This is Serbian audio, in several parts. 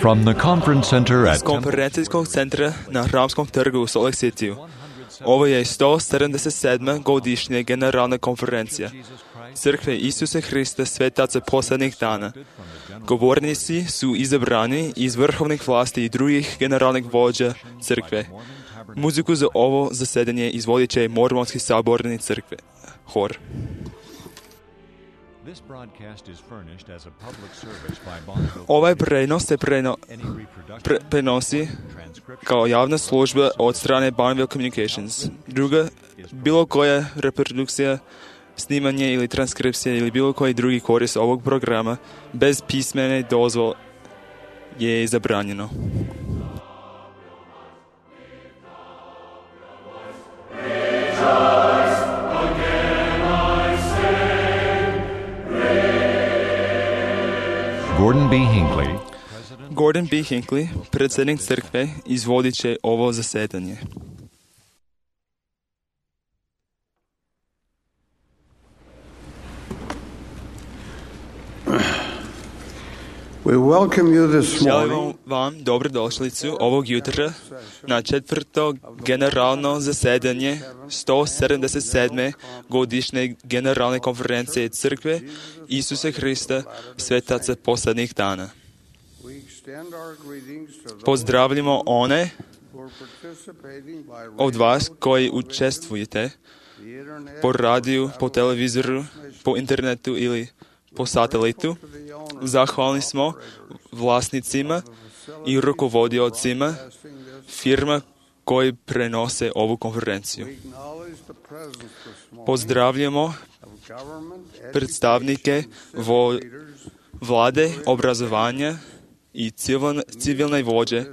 From the conference center Iz at Temple konferencijskog centra na Hramskom trgu u Salt Lake City. Ovo je 177. godišnja generalna konferencija Crkve Isuse Hrista Svetaca posljednjih dana. Govornici su izabrani iz vrhovnih vlasti i drugih generalnih vođa crkve. Muziku za ovo zasedanje izvodit će Mormonski saborni crkve. Hor. Ovaj prenos se prenosi kao javna služba od strane Bonneville Communications. Druga, bilo koja reprodukcija, snimanje ili transkripcija ili bilo koji drugi korist ovog programa bez pismene dozvole je zabranjeno. Gordon B. Hinckley, predsjednik crkve, izvodit će ovo zasedanje. Želim vam dobrodošlicu ovog jutra na četvrto generalno zasedanje 177. godišnje generalne konferencije Crkve Isuse Hrista Svetaca posljednjih dana. Pozdravljamo one od vas koji učestvujete po radiju, po televizoru, po internetu ili po satelitu. Zahvalni smo vlasnicima i rukovodiocima firma koji prenose ovu konferenciju. Pozdravljamo predstavnike vlade, obrazovanja i civilne vođe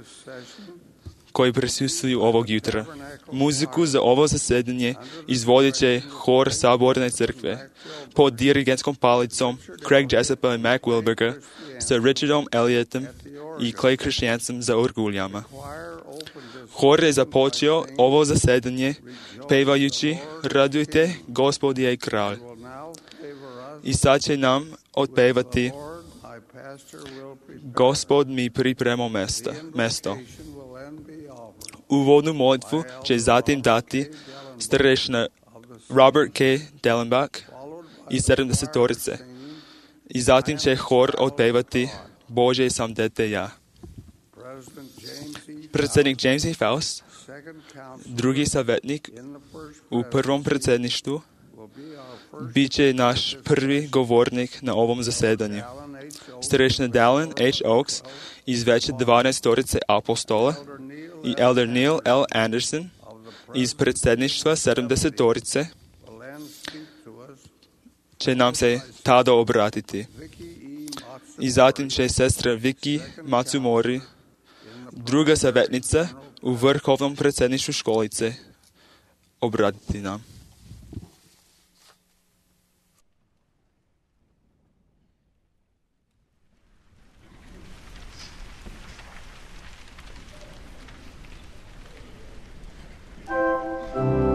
koji prisustvuju ovog jutra. Muziku za ovo zasedanje izvodit će hor Saborne crkve pod dirigentskom palicom Craig Jessupa i Mac Wilberga sa Richardom Elliotom i Clay Christiansom za orguljama. Hor je započeo ovo zasedanje pevajući Radujte, Gospod je kralj. I sad će nam otpevati Gospod mi pripremao mesto. Uvodnu molitvu će zatim dati starešina Robert K. Dellenbach i 70-torice. I zatim će hor otpevati Bože sam dete ja. Predsjednik James E. Faust, drugi savjetnik u prvom predsjedništvu, bit će naš prvi govornik na ovom zasedanju. Starešina Dallin H. Oaks iz veće 12-torice apostola i Elder Neil L. Anderson iz predsjedništva 70-torice će nam se tada obratiti. I zatim će sestra Vicky Matsumori, druga savjetnica u vrhovnom predsjedništvu školice, obratiti nam. Oh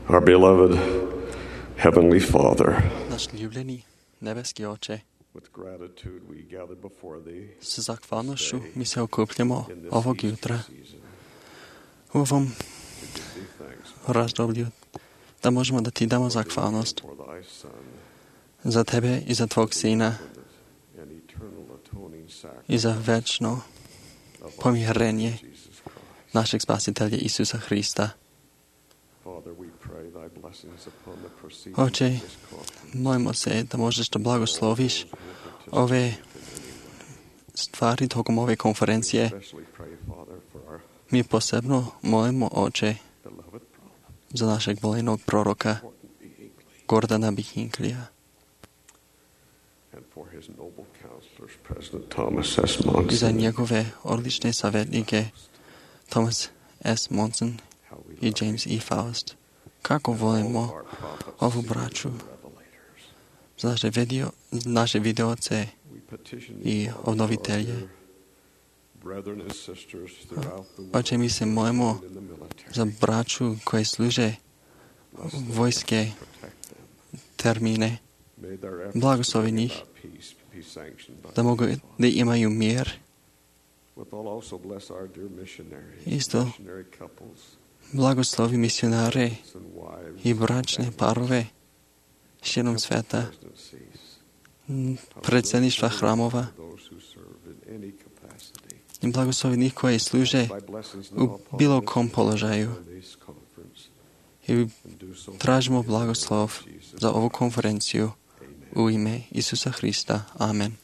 Our beloved Heavenly Father, Náš ľúbený nebeský Oče, with gratitude we gather before Thee с zahvalnošću mi se okupljamo ovog jutra u ovom razdoblju da možemo da Ti damo zahvalnost for Thy Son za Tebe i za Tvog Sina and eternal atoning sacrifice i za večno pomirenje of Jesus Christ. našeg spasitelja Isusa Hrista. Father, we pray Thy blessings upon the proceedings Oče, of this conference. molimo se da možeš da blagosloviš ove stvari tokom ove konferencije. Especially pray, Father, for our Mi posebno molimo, Oče, beloved prophet, za našeg voljenog proroka Horton B. Hinckley, Gordana Bihinklija and for his noble counselors, President Thomas S. i za Monson. njegove odlične savjetnike Thomas S. Monson How we i love James E. Faust. Kako volimo our prophets, ovu seers, braću, and revelators. za naše videoce We petition i Thee, Father, obnovitelje. for our brethren and sisters throughout the Oče, mi se molimo world and in the military. za braću koje služe Bless them, vojske protect them. termine, May their efforts blagoslovi to bring njih, about peace be sanctioned by da mogu Thee, Father. da imaju mir. Withal also bless our dear missionaries, Isto missionary couples, blagoslovi misionare and wives, i bračne parove širom sveta, presidencies, predsjedništva hramova those who serve in any capacity. i blagoslovi njih koji služe Thy blessings u now upon bilo this kom položaju. and this conference, I and do so tražimo in the name of blagoslov Jesus za ovu Christ. konferenciju Amen. u ime Isusa Hrista. Amen.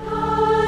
I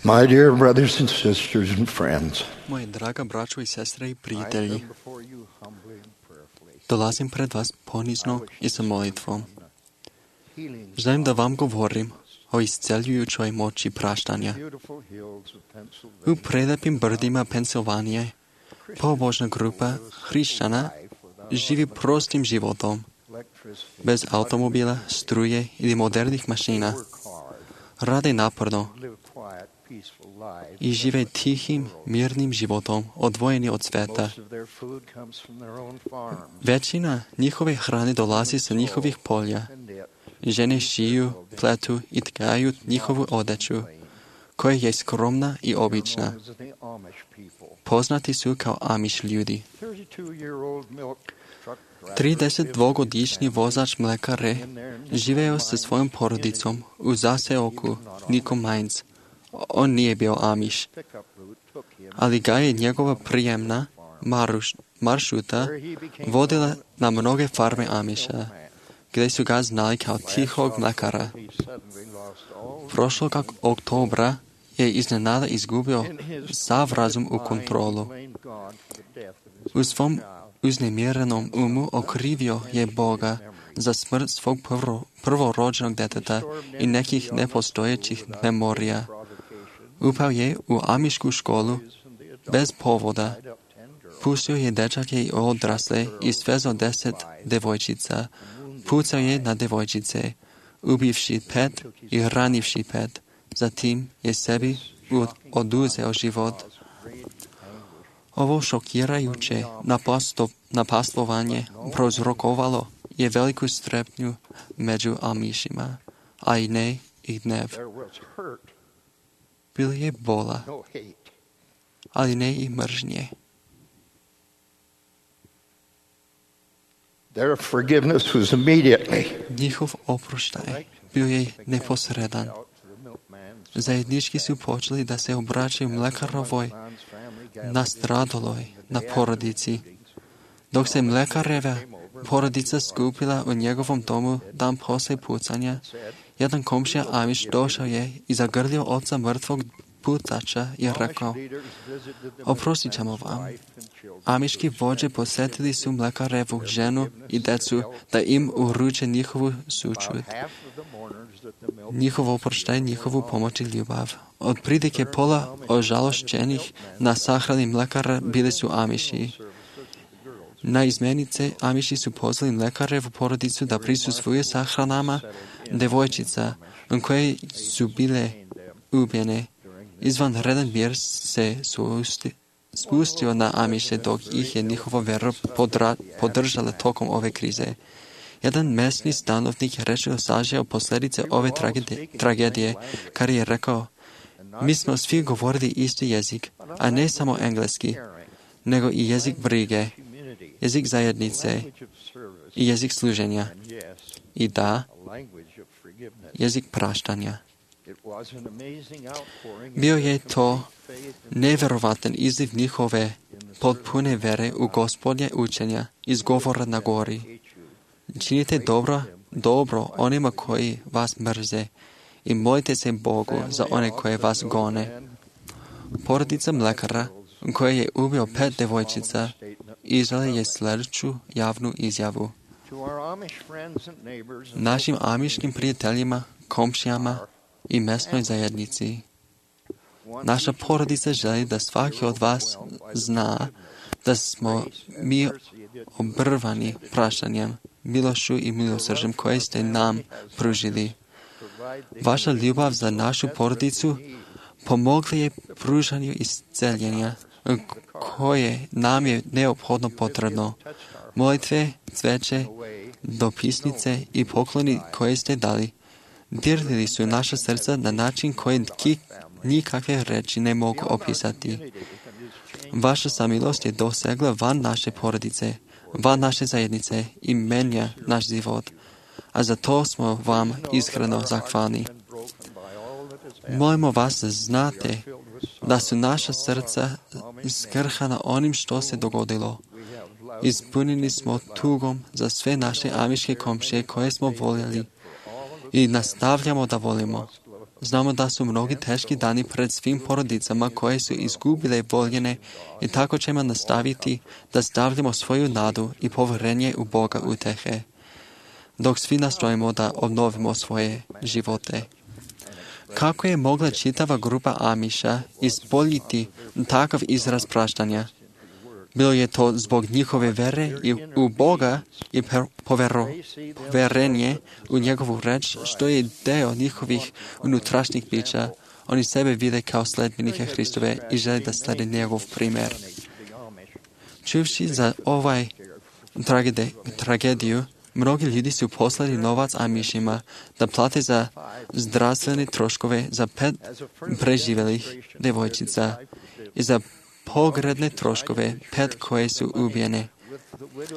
My dear brothers and sisters and friends, Moji draga braćo i sestre i I prijatelji, come before you humbly and prayerfully, dolazim pred vas ponizno i sa molitvom. healing Želim da vam govorim o isceljujućoj moći praštanja. beautiful hills of U Pennsylvania. prelepim brdima Pensilvanije, pobožna grupa hrišćana živi prostim životom, Electricity, bez automobila, struje ili modernih mašina. work hard, Rade naporno live quiet, peaceful lives. i žive tihim, mirnim životom, odvojeni od sveta. Most of their food comes from their own farms, Većina njihove hrane dolazi sa njihovih polja. and yet Žene šiju, pletu i tkaju njihovu odeću, koja je skromna i obična. known as the Amish people. Poznati su kao Amish ljudi. 32-year-old milk truck driver 32-godišnji vozač mlekare živeo sa svojom porodicom u zaseoku Nico Mines. On nije bio Amish, pickup route took him ali ga je njegova prijemna maršruta vodila na mnoge farme Amisha, gdje su ga znali kao tihog mlekara. he suddenly lost all Prošlog oktobra je iznenada izgubio sav razum u kontrolu. blamed God for the death of his U svom uznemirenom umu okrivio je Boga za smrt svog prvorođenog deteta i nekih nepostojećih memorija. provocation. Upao je u amišku školu bez povoda. Tied up 10 girls Pustio je dečake i odrasle i svezao 10 devojčica. Pucao je na devojčice, ubivši 5 i ranivši 5. Zatim je sebi oduzeo život. Ovo šokirajuće napastovanje prouzrokovalo je veliku strepnju među Amishima, a i ne i gnev. there was hurt, Bilo je bola, no hate. ali ne i mržnje. Their forgiveness was immediately Njihov oproštaj bio je neposredan. out to the milkman's Zajednički su počeli da se obraćaju mlekarovoj family gathered nastradaloj na porodici. Dok se mlekareva porodica skupila u njegovom domu dan poslije pucanja, jedan komšija Amish došao je i zagrlio oca mrtvog pucača i rekao: leaders visited the "Oprostit ćemo vam." wife and children. Amiški vođe posjetili su mlekarevu ženu i decu da im uruče njihovu sućut, Half of the mourners that the milk njihov oproštaj, njihovu pomoć i ljubav. Od prilike pola ožalošćenih na sahrani mlekara bili su Amiši. Na izmenice Amiši su pozvali mlekarevu porodicu da prisustvuju sahranama devojčica koje su bile ubijene. Izvanredan mir se spustio na Amiše dok ih je njihova vera podržala tokom ove krize. Jedan mesni stanovnik rečeno sažeo posljedice ove tragedije, kad je rekao: "Mi smo svi govorili isti jezik, a ne samo engleski, nego i jezik brige, jezik zajednice language of service, i jezik služenja. and yes, I da, a language of forgiveness. jezik praštanja." It was an amazing outpouring Bio of je their to complete faith and neverovatan izliv njihove potpune vere u Gospodnje učenja iz govora na gori. hate you. Činite dobro onima koji vas mrze i molite se Bogu za one koje vas gone. Porodica mlekara koja je ubio 5 devojčica izdala je sljedeću javnu izjavu: To our Amish friends and neighbors and našim amiškim prijateljima, komšijama i mesnoj zajednici. Naša porodica želi da svaki od vas zna da smo mi obrvani praštanjem, milošću i milosrđem koje ste nam pružili. Vaša ljubav za našu porodicu pomogla je pružanju isceljenja koje nam je neophodno potrebno. Molitve, cveće, dopisnice i pokloni koje ste dali dirlili su naša srca na način koji nikakve reči ne mogu opisati. Vaša samilost je dosegla van naše porodice, van naše zajednice i menja naš život, a za to smo vam iskreno zahvalni. Molimo vas da znate da su naša srca skrhana onim što se dogodilo. Ispunjeni smo tugom za sve naše amiške komšije koje smo voljeli i nastavljamo da volimo. Znamo da su mnogi teški dani pred svim porodicama koje su izgubile voljene i tako ćemo nastaviti da stavljamo svoju nadu i povjerenje u Boga utehe, dok svi nastojimo da obnovimo svoje živote. Kako je mogla čitava grupa Amiša ispoljiti takav izraz praštanja? Bilo je to zbog njihove vere i u Boga i povjerenje u njegovu reč, što je deo njihovih unutrašnjih bića. Oni sebe vide kao sledbenike Hristove i žele da slede njegov primjer. Čuvši za ovaj tragediju, mnogi ljudi su poslali novac Amišima da plate za zdravstvene troškove za 5 preživjelih devojčica i za pogrebne troškove 5 koje su ubijene.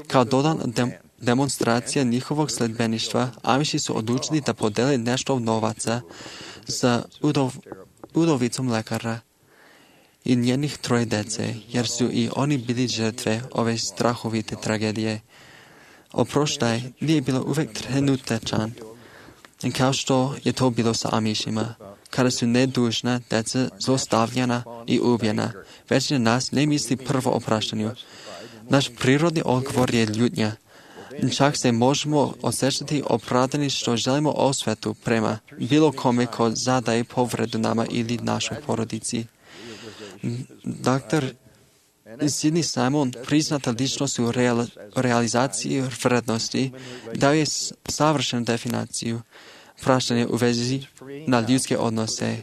Kao dodan demonstracija njihovog sledbeništva, Amiši su odlučili da podele nešto novaca za udovicom lekara i njenih 3 dece, jer su i oni bili žrtve ove strahovite tragedije. Oproštaj nije bilo uvijek trenutačan, kao što je to bilo sa Amišima, kada su nedužna deca zlostavljana i ubijena. Većina nas ne misli prvo o praštanju. Naš prirodni odgovor je ljutnja. Čak se možemo osjećati opravdani što želimo osvetu prema bilo kome ko zadaje povredu nama ili našoj porodici. Dr. Sidney Simon, priznata ličnost u realizaciji vrednosti, dao je savršenu definiciju praštanja u vezi na ljudske odnose.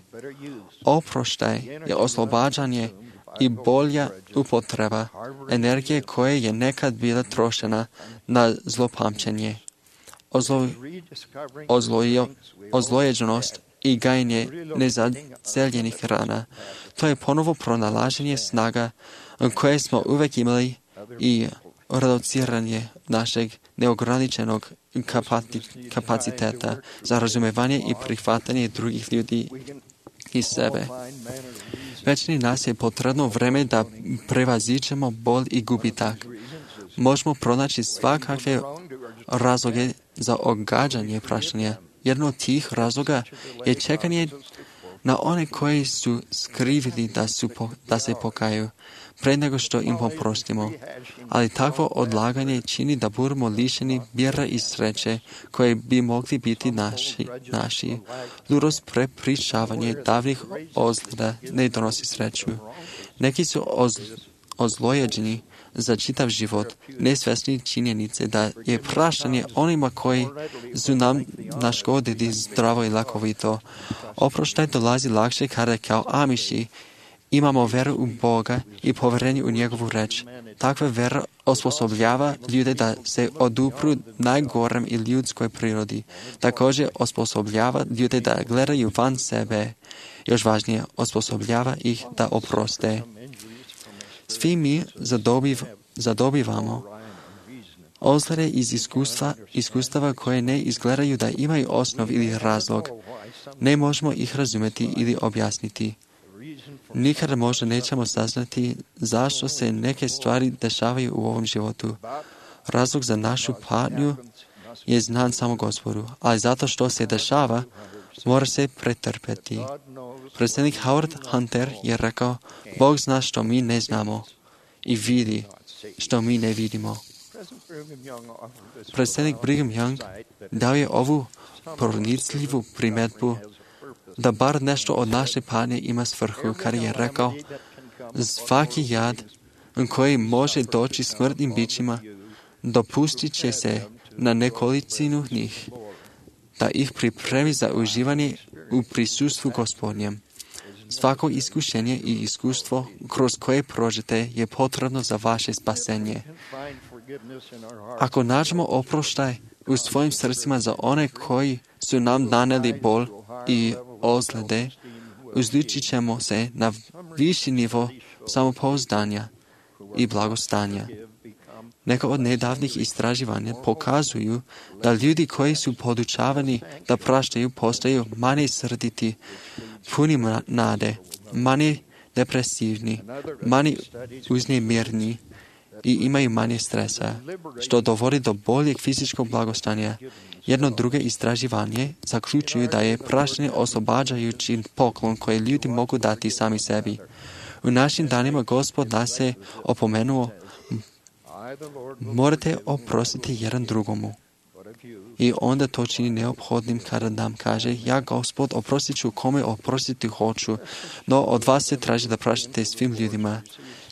Oproštaj je oslobađanje i bolja upotreba energije koja je nekad bila trošena na zlopamćenje, ozlojeđenost i gajenje nezaceljenih rana. To je ponovo pronalaženje snaga koje smo uvijek imali i reduciranje našeg neograničenog kapaciteta za razumevanje i prihvatanje drugih ljudi i sebe. Većini nas je potrebno vreme da prevaziđemo bol i gubitak. Možemo pronaći svakakve razloge za odgađanje praštanja. Jedno od tih razloga je čekanje na one koji su skrivili da se pokaju, pre nego što im oprostimo. Ali takvo odlaganje čini da budemo lišeni mira i sreće koje bi mogli biti naši. Ludost prepričavanje davnih ozljeda ne donosi sreću. Neki su ozlojeđeni za čitav život, nesvjesni činjenice da je praštanje onima koji su nam naškodili zdravo i lakovito. Oproštaj dolazi lakše kada kao Amiši imamo veru u Boga i povjerenje u njegovu reč. Takva vera osposobljava ljude da se odupru najgorem i ljudskoj prirodi. Također osposobljava ljude da gledaju van sebe. Još važnije, osposobljava ih da oproste. Svi mi zadobivamo ozljede iz iskustava koje ne izgledaju da imaju osnov ili razlog. Ne možemo ih razumjeti ili objasniti. Nikada možda nećemo saznati zašto se neke stvari dešavaju u ovom životu. Razlog za našu patnju je znan samo Gospodu, ali zato što se dešava, mora se pretrpeti. Predsjednik Howard Hunter je rekao, Bog zna što mi ne znamo i vidi što mi ne vidimo. Predsjednik Brigham Young dao je ovu pronicljivu primjedbu da bar nešto od naše patnje ima svrhu, kada je rekao, svaki jad koji može doći smrtnim bićima, dopustit će se na nekolicinu njih, da ih pripremi za uživanje u prisustvu Gospodnjem. Svako iskušenje i iskustvo kroz koje prođete je potrebno za vaše spasenje. Ako nađemo oproštaj u svojim srcima za one koji su nam naneli bol i ozljede, uzdići ćemo se na viši nivo samopouzdanja i blagostanja. Neka od nedavnih istraživanja pokazuju da ljudi koji su podučavani da praštaju postaju manje srditi, puni nade, manje depresivni, manje uznemirni i imaju manje stresa, što dovodi do boljeg fizičkog blagostanja. Jedno drugo istraživanje zaključuju da je praštanje oslobađajući poklon koji ljudi mogu dati sami sebi. U našim danima Gospod nas je opomenuo, morate oprostiti jedan drugomu. I onda to čini neophodnim kada nam kaže, ja Gospod oprostit ću kome oprostiti hoću, no od vas se traži da praštate svim ljudima.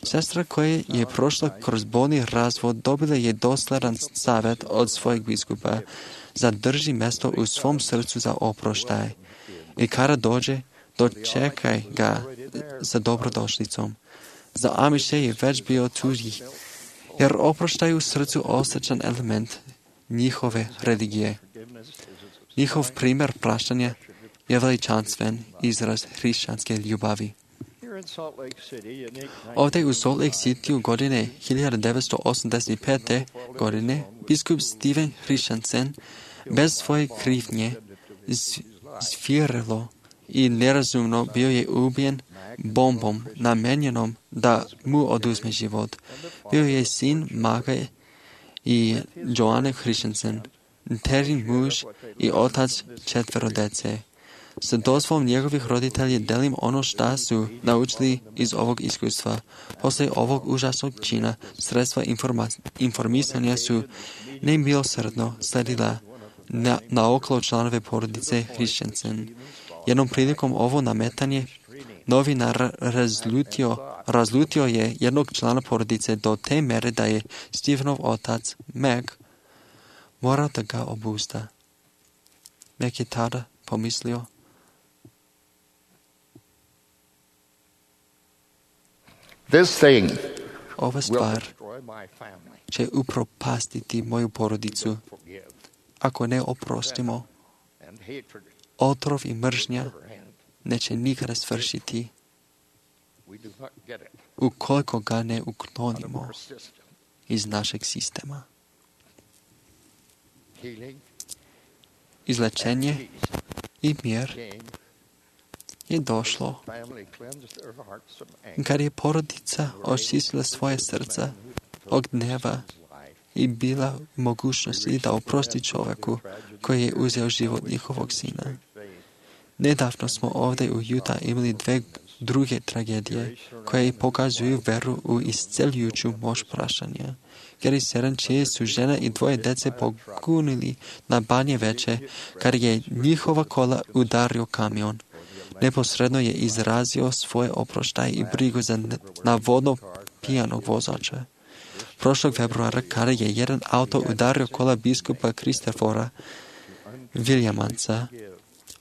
Sestra koja je prošla kroz bolni razvod dobila je dosledan savjet od svojeg biskupa. Zadrži mjesto u svom srcu za oproštaj. I kada dođe, dočekaj ga sa dobrodošlicom. Za Amiše je već bio tu, jer oproštaj u srcu osjećan element njihove religije. Njihov primjer praštanja je veličanstven izraz hrišćanske ljubavi. Ovdje u Salt Lake City godine 1985. godine biskup Steven Christensen bez svoje krivnje zvjerelo i nerazumno bio je ubijen bombom namenjenom da mu oduzme život. Bio je sin Mage i Joanne Christensen, terin muž i otac 4 dece. Sa dozvolom njegovih roditelja delim ono što su naučili iz ovog iskustva. Poslije ovog užasnog čina sredstva informisanja su nemilosrdno sledila na okolo članove porodice Christensen. Jednom prilikom ovo nametanje novinar razlutio je jednog člana porodice do te mere da je Stevenov otac, Meg, morao da ga obuzda. Meg je tada pomislio, ova stvar će upropastiti moju porodicu ako ne oprostimo. Otrov i mržnja neće nikada svršiti ukoliko ga ne uklonimo iz našeg sistema. Izlečenje i mir je došlo kad je porodica očistila svoje srca od gneva i bila u mogućnosti da oprosti čovjeku koji je uzeo život njihovog sina. Nedavno smo ovdje u Utah imali 2 druge tragedije koje pokazuju veru u isceljujuću moć praštanja. Gary 7, čije su žena i 2 dece pogunili na Banje Veće, kad je njihova kola udario kamion. Neposredno je izrazio svoje oproštaj i brigu za navodno pijanog vozača. Prošlog februara, kada je jedan auto udario kola biskupa Christophera Williamsa,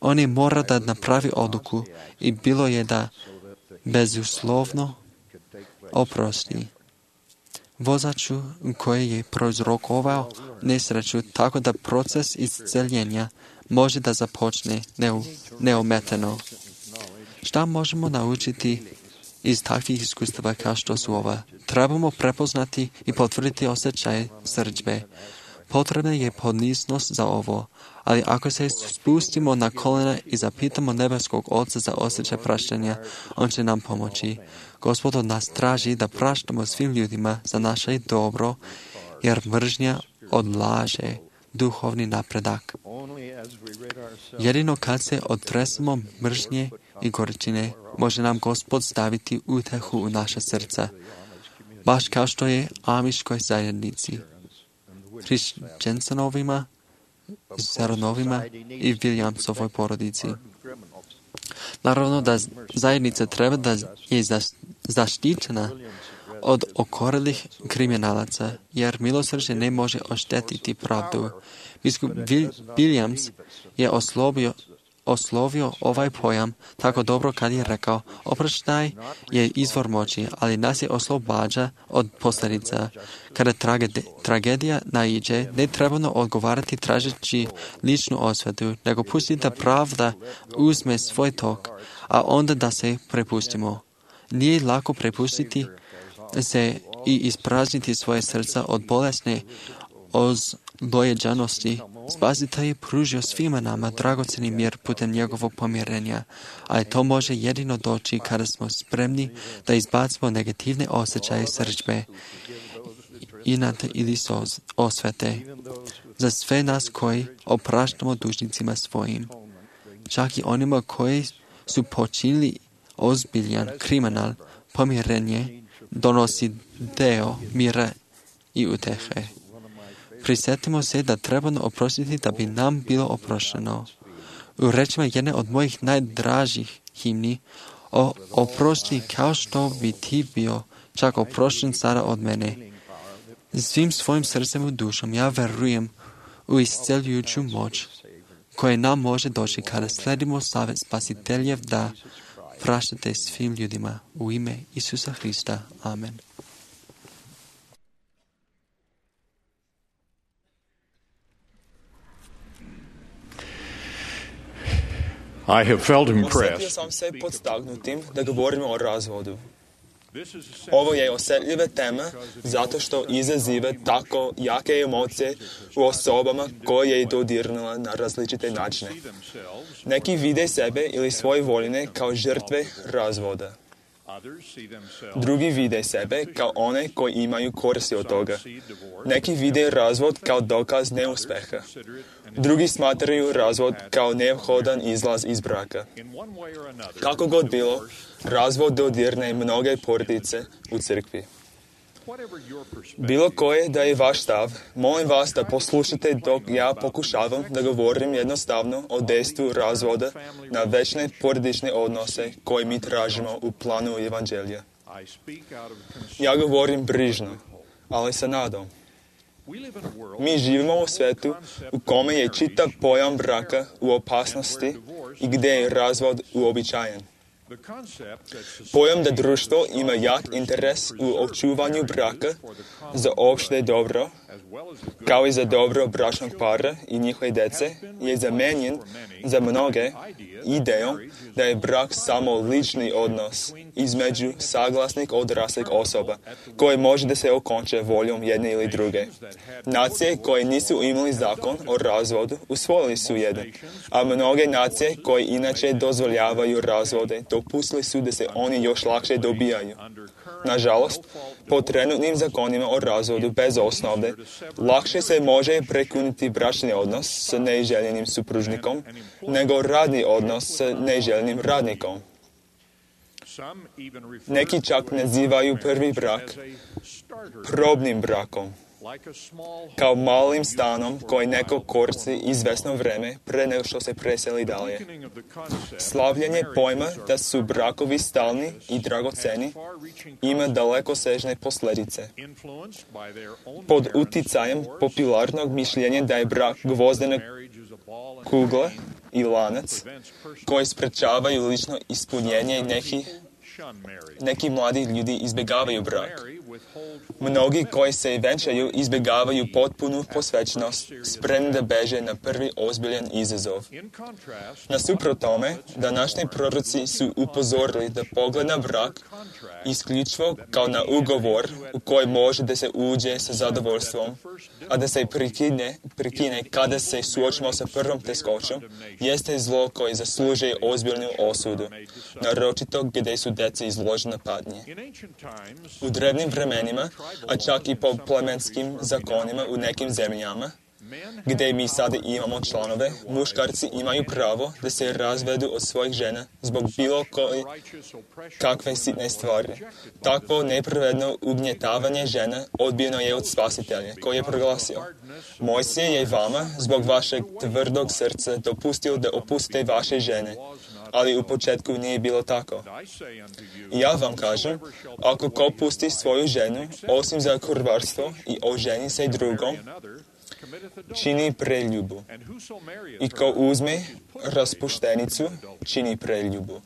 on je morao da napravi odluku i bilo je da bezuslovno oprosti vozaču koji je prouzrokovao nesreću, tako da proces isceljenja može da započne neometano. Šta možemo naučiti iz takvih iskustava kao što su ova? Trebamo prepoznati i potvrditi osjećaj srdžbe. Potrebna je poniznost za ovo, ali ako se spustimo na kolena i zapitamo nebeskog Oca za osjećaj praštanja, on će nam pomoći. Gospod od nas traži da praštamo svim ljudima za naše dobro, jer mržnja odlaže duhovni napredak. Jedino kad se otresemo mržnje i gorčine, može nam Gospod staviti utehu u naša srca, baš kao što je Amiškoj zajednici, Christensenovima, Zeronovima i Williamsovoj porodici. Naravno da zajednica treba da je zaštićena od okorelih kriminalaca, jer milosrđe ne može oštetiti pravdu. Biskup Williams je oslovio ovaj pojam tako dobro kad je rekao, oproštaj je izvor moći, ali nas je oslobađa od posljedica. Kada tragedija naiđe, ne trebamo odgovarati tražeći ličnu osvetu, nego pustiti da pravda uzme svoj tok, a onda da se prepustimo. Nije lako prepustiti se i isprazniti svoje srca od bolesne ozlojeđanosti. Spasitelj je pružio svima nama dragocjeni mir putem njegovog pomirenja, a to može jedino doći kada smo spremni da izbacimo negativne osjećaje srdžbe inate ili osvete, za sve nas koji opraštamo dužnicima svojim, čak i onima koji su počinili ozbiljan kriminal, pomirenje donosi deo mira i utehe. Prisjetimo se da trebamo oprostiti da bi nam bilo oprošteno. U rečima jedne od mojih najdražih himni, oprosti kao što bi ti bio čak oprošten sada od mene. Svim svojim srcem i dušom ja verujem u isceljujuću moć koja nam može doći kada sledimo savjet Spasiteljev da praštate svim ljudima u ime Isusa Hrista. Amen. I have felt Osjetio impressed sam se podstaknutim da govorimo o razvodu. Ovo je osjetljiva tema zato što izaziva tako jake emocije u osobama koje je dodirnula na različite načine. Neki vide sebe ili svoje voljene kao žrtve razvoda. Drugi vide sebe kao one koji imaju koristi od toga. Neki vide razvod kao dokaz neuspeha. Drugi smatraju razvod kao neophodan izlaz iz braka. Kako god bilo, razvod dodirne mnoge porodice u crkvi. Bilo koje da je vaš stav, molim vas da poslušate dok ja pokušavam da govorim jednostavno o dejstvu razvoda na večne porodične odnose koje mi tražimo u planu evanđelja. Ja govorim brižno, ali sa nadom. Mi živimo u svetu u kome je čitav pojam braka u opasnosti i gdje je razvod uobičajen. Pojam da društvo ima jak interes u očuvanju braka za opšte dobro, kao i za dobro bračnog para i njihove djece, je zamijenjen za mnoge idejom da je brak samo lični odnos između saglasnih odraslih osoba, koje može da se okonče voljom jedne ili druge. Nacije koje nisu imali zakon o razvodu usvojili su jedan, a mnoge nacije koje inače dozvoljavaju razvode dopustili su da se oni još lakše dobijaju. Nažalost, po trenutnim zakonima o razvodu bez osnove, lakše se može prekinuti bračni odnos s neželjenim supružnikom nego radni odnos s neželjenim radnikom. Neki čak nazivaju prvi brak probnim brakom, kao malim stanom koji neko koristi izvesno vreme pre nego što se preseli dalje. Slavljenje pojma da su brakovi stalni i dragoceni ima dalekosežne posljedice. Pod uticajem popularnog mišljenja da je brak gvozdena kugla i lanac koji sprečavaju lično ispunjenje neki mladi ljudi izbjegavaju brak. Mnogi koji se venčaju izbjegavaju potpunu posvećenost, spremni da beže na prvi ozbiljan izazov. Nasuprot tome, današnji proroci su upozorili da pogled na brak isključivo kao na ugovor u koji može da se uđe sa zadovoljstvom, a da se prekine kada se suočimo sa prvom teškoćom, jeste zlo koje zaslužuje ozbiljnu osudu, naročito gdje su djeca izložena patnji. U drevnim vremenima, a čak i po plemenskim zakonima u nekim zemljama, gdje mi sada imamo članove, muškarci imaju pravo da se razvedu od svojih žena zbog bilo kakve sitne stvari. Takvo nepravedno ugnjetavanje žena odbijeno je od Spasitelja, koji je proglasio: Mojsije je vama zbog vašeg tvrdog srca dopustio da opustite vaše žene, ali u početku nije bilo tako. Ja vam kažem, ako ko pusti svoju ženu, osim za kurvarstvo, i oženi se drugom, čini preljubu. I ko uzme raspuštenicu, čini preljubu.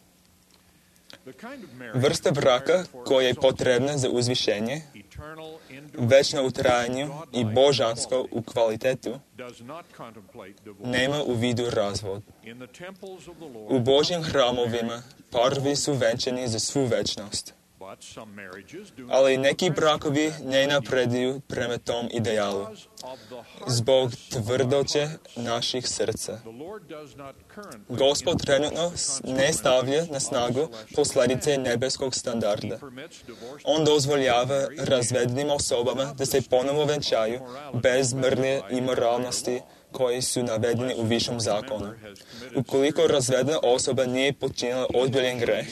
Vrsta braka koja je potrebna za uzvišenje, večno u trajanju i božansko u kvalitetu, nema u vidu razvod. U Božjim hramovima parovi su venčani za svu večnost. Ali neki brakovi ne napreduju prema tom idealu zbog tvrdoće naših srca. Gospod trenutno ne stavlja na snagu posljedice nebeskog standarda. On dozvoljava razvedenim osobama da se ponovo venčaju bez mrlje i moralnosti koji su navedeni u višem zakonu. Ukoliko razvedena osoba nije počinila ozbiljan greh,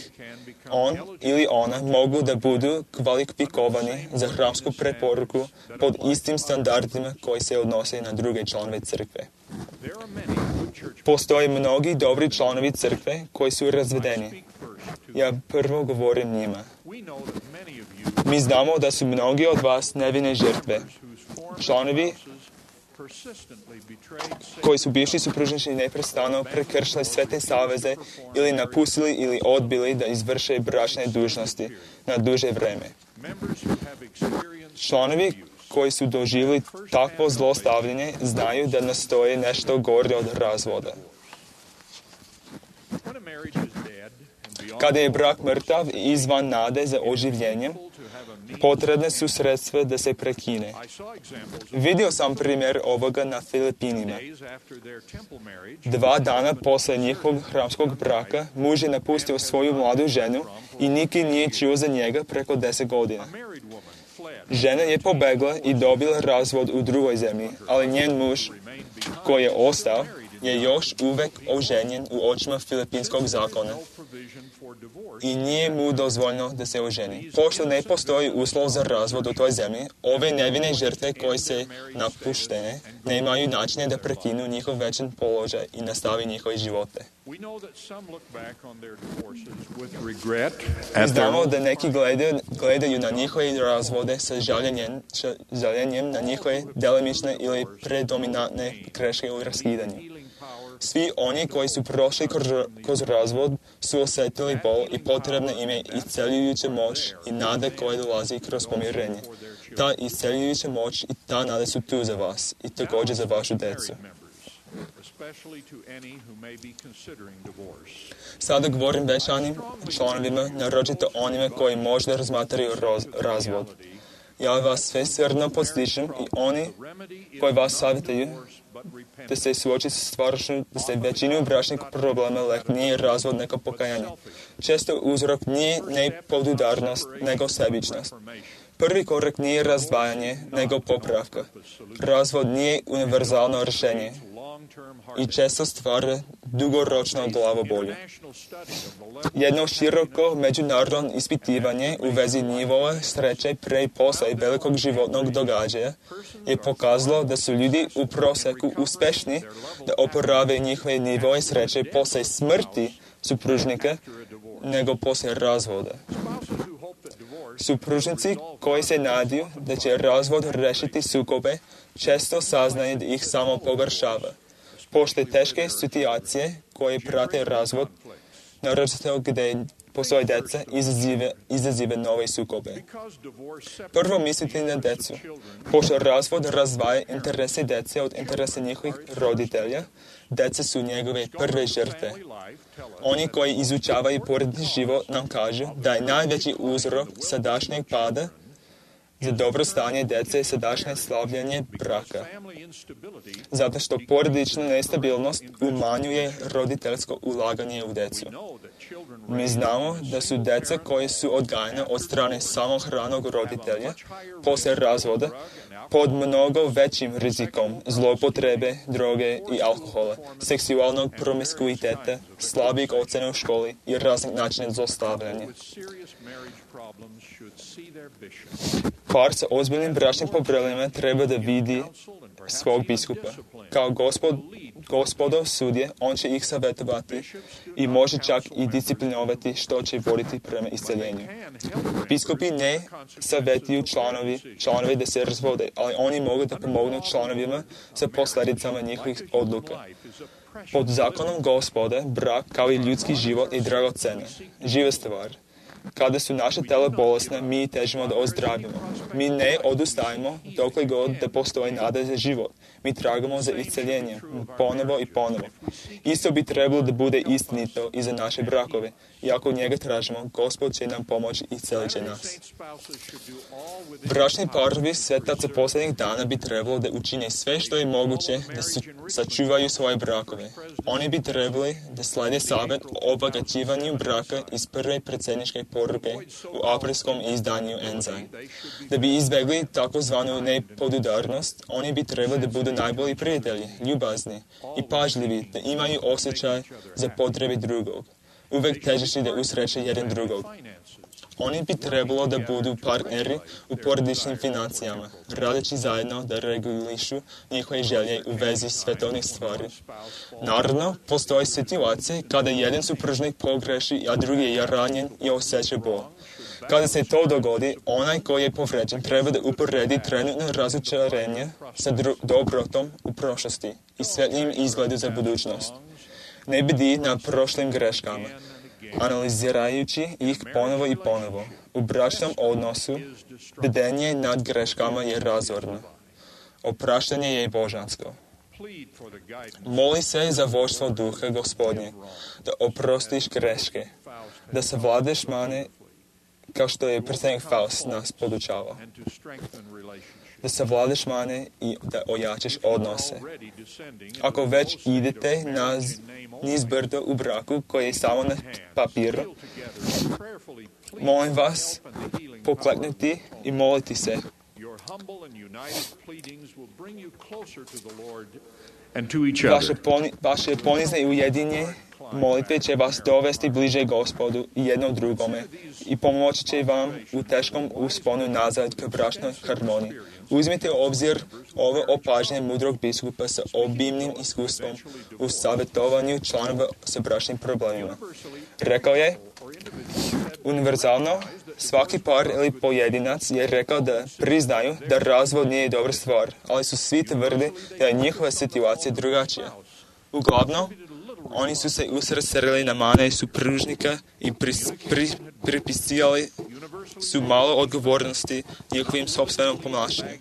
on ili ona mogu da budu kvalifikovani za hramsku preporuku pod istim standardima koji se odnose na druge članove crkve. Postoje mnogi dobri članovi crkve koji su razvedeni. Ja prvo govorim njima. Mi znamo da su mnogi od vas nevine žrtve. Članovi koji su bivši supružnici neprestano prekršili sve te saveze ili napustili ili odbili da izvrše bračne dužnosti na duže vreme. Članovi koji su doživjeli takvo zlostavljanje znaju da nastoji nešto gore od razvoda. Kada je brak mrtav i izvan nade za oživljenjem, potrebne su sredstva da se prekine. Vidio sam primjer ovoga na Filipinima. 2 dana posle njihovog hramskog braka, muž je napustio svoju mladu ženu i niki nije čuo za njega preko 10 godina. Žena je pobegla i dobila razvod u drugoj zemlji, ali njen muž, koji je ostao, je još uvek oženjen u očima filipinskog zakona i nije mu dozvoljeno da se oženi. Pošto ne postoji uslov za razvod u toj zemlji, ove nevine žrtve koje se napuštene nemaju načine da prekinu njihov večan položaj i nastavi njihove živote. Znamo da neki gledaju na njihove razvode sa žaljenjem na njihove delimične ili predominantne greške u raskidanju. Svi oni koji su prošli kroz razvod su osjetili bol i potrebna im je isceljujuća moć i nada koja dolazi kroz pomirenje. Ta isceljujuća moć i ta nada su tu za vas i također za vašu decu. Sada govorim većanim članovima, naročito onima koji možda razmatraju razvod. Ja vas sve srdno podstičem i oni koji vas savjetuju da se suoči sa stvarnošću, da se većinu bračnih problema lek nije razvod nego pokajanje. Često uzrok nije nepodudarnost nego sebičnost. Prvi korak nije razdvajanje nego popravka. Razvod nije univerzalno rješenje i često stvara dugoročno glavobolju. Jedno široko međunarodno ispitivanje u vezi nivoa sreće pre i posle velikog životnog događaja je pokazalo da su ljudi u prosjeku uspešni da oporave njihove nivoe sreće posle smrti supružnika nego posle razvoda. Supružnici koji se nadaju da će razvod rešiti sukobe često saznaju da ih samo pogoršava. Pošto teške situacije koje prate razvod, naročito gdje postoje deca, izazive nove sukobe. Prvo mislite na decu. Pošto razvod razdvaja interese dece od interesa njihovih roditelja, deca su njegove prve žrtve. Oni koji izučavaju porodični život nam kažu da je najveći uzrok sadašnjeg pada za dobro stanje dece sadašnje slavljanje braka. Zato što porodična nestabilnost umanjuje roditeljsko ulaganje u decu. Mi znamo da su deca koje su odgajane od strane samohranog roditelja posle razvoda pod mnogo većim rizikom zloupotrebe, droge i alkohola, seksualnog promiskuiteta, slabih ocena u školi i raznih načina zlostavljanja. Par sa ozbiljnim bračnim problemima treba da vidi svog biskupa. Kao gospodov sudje, on će ih savjetovati i može čak i disciplinovati što će voditi prema isceljenju. Biskupi ne savjetuju članovi da se razvode, ali oni mogu da pomognu članovima sa posljedicama njihovih odluka. Pod zakonom Gospoda, brak kao i ljudski život je dragocena, živa stvar. Kada su naše tela bolesne, mi težimo da ozdravimo. Mi ne odustajemo dokle god da postoji nada za život. Mi tragamo za isceljenje, ponovo i ponovo. Isto bi trebalo da bude istinito i za naše brakove. i ako njega tražimo, Gospod će nam pomoći i iscelit će nas. Bračni parovi svetaca posljednjih dana bi trebalo da učine sve što je moguće da sačuvaju svoje brakove. Oni bi trebali da slede savjet o obogaćivanju braka iz prve predsjedničke poruke u aprilskom izdanju Enzaj. Da bi izbjegli takozvanu nepodudarnost, oni bi trebali da budu najbolji prijatelji, ljubazni i pažljivi, da imaju osjećaj za potrebe drugog, uvek težeći da usreće jedan drugog. Oni bi trebalo da budu partneri u porodičnim financijama, radeći zajedno da regulišu njihove želje u vezi svetovnih stvari. Naravno, postoje situacije kada jedan supružnik pogreši, a drugi je ranjen i osjeća bol. Kada se to dogodi, onaj koji je povređen treba da uporedi trenutno razočarenje sa dobrotom u prošlosti i svetlim izgledu za budućnost. Ne bdi na prošlim greškama, analizirajući ih ponovo i ponovo. U bračnom odnosu bdenje nad greškama je razorno. Opraštanje je božansko. Moli se za vođstvo duha Gospodnje, da oprostiš greške, da savladaš mane kao što je predsjednik Faust nas podučavao. Da savladaš mane i da ojačaš odnose. Ako već idete niz brdo u braku koji je samo na papiru, molim vas pokleknuti i moliti se. Vaše ponizne i ujedinje molitve će vas dovesti bliže Gospodu i jednom drugome i pomoći će vam u teškom usponu nazad k bračnoj harmoniji. Uzmite u obzir ovo opažanje mudrog biskupa sa obimnim iskustvom u savjetovanju članova sa bračnim problemima. Rekao je, univerzalno, svaki par ili pojedinac je rekao da priznaju da razvod nije dobra stvar, ali su svi tvrdili da je njihova situacija drugačija. Uglavnom, oni su se usredsredili na mane supružnika i pripisivali su malo odgovornosti njihovim sopstvenom ponašanju.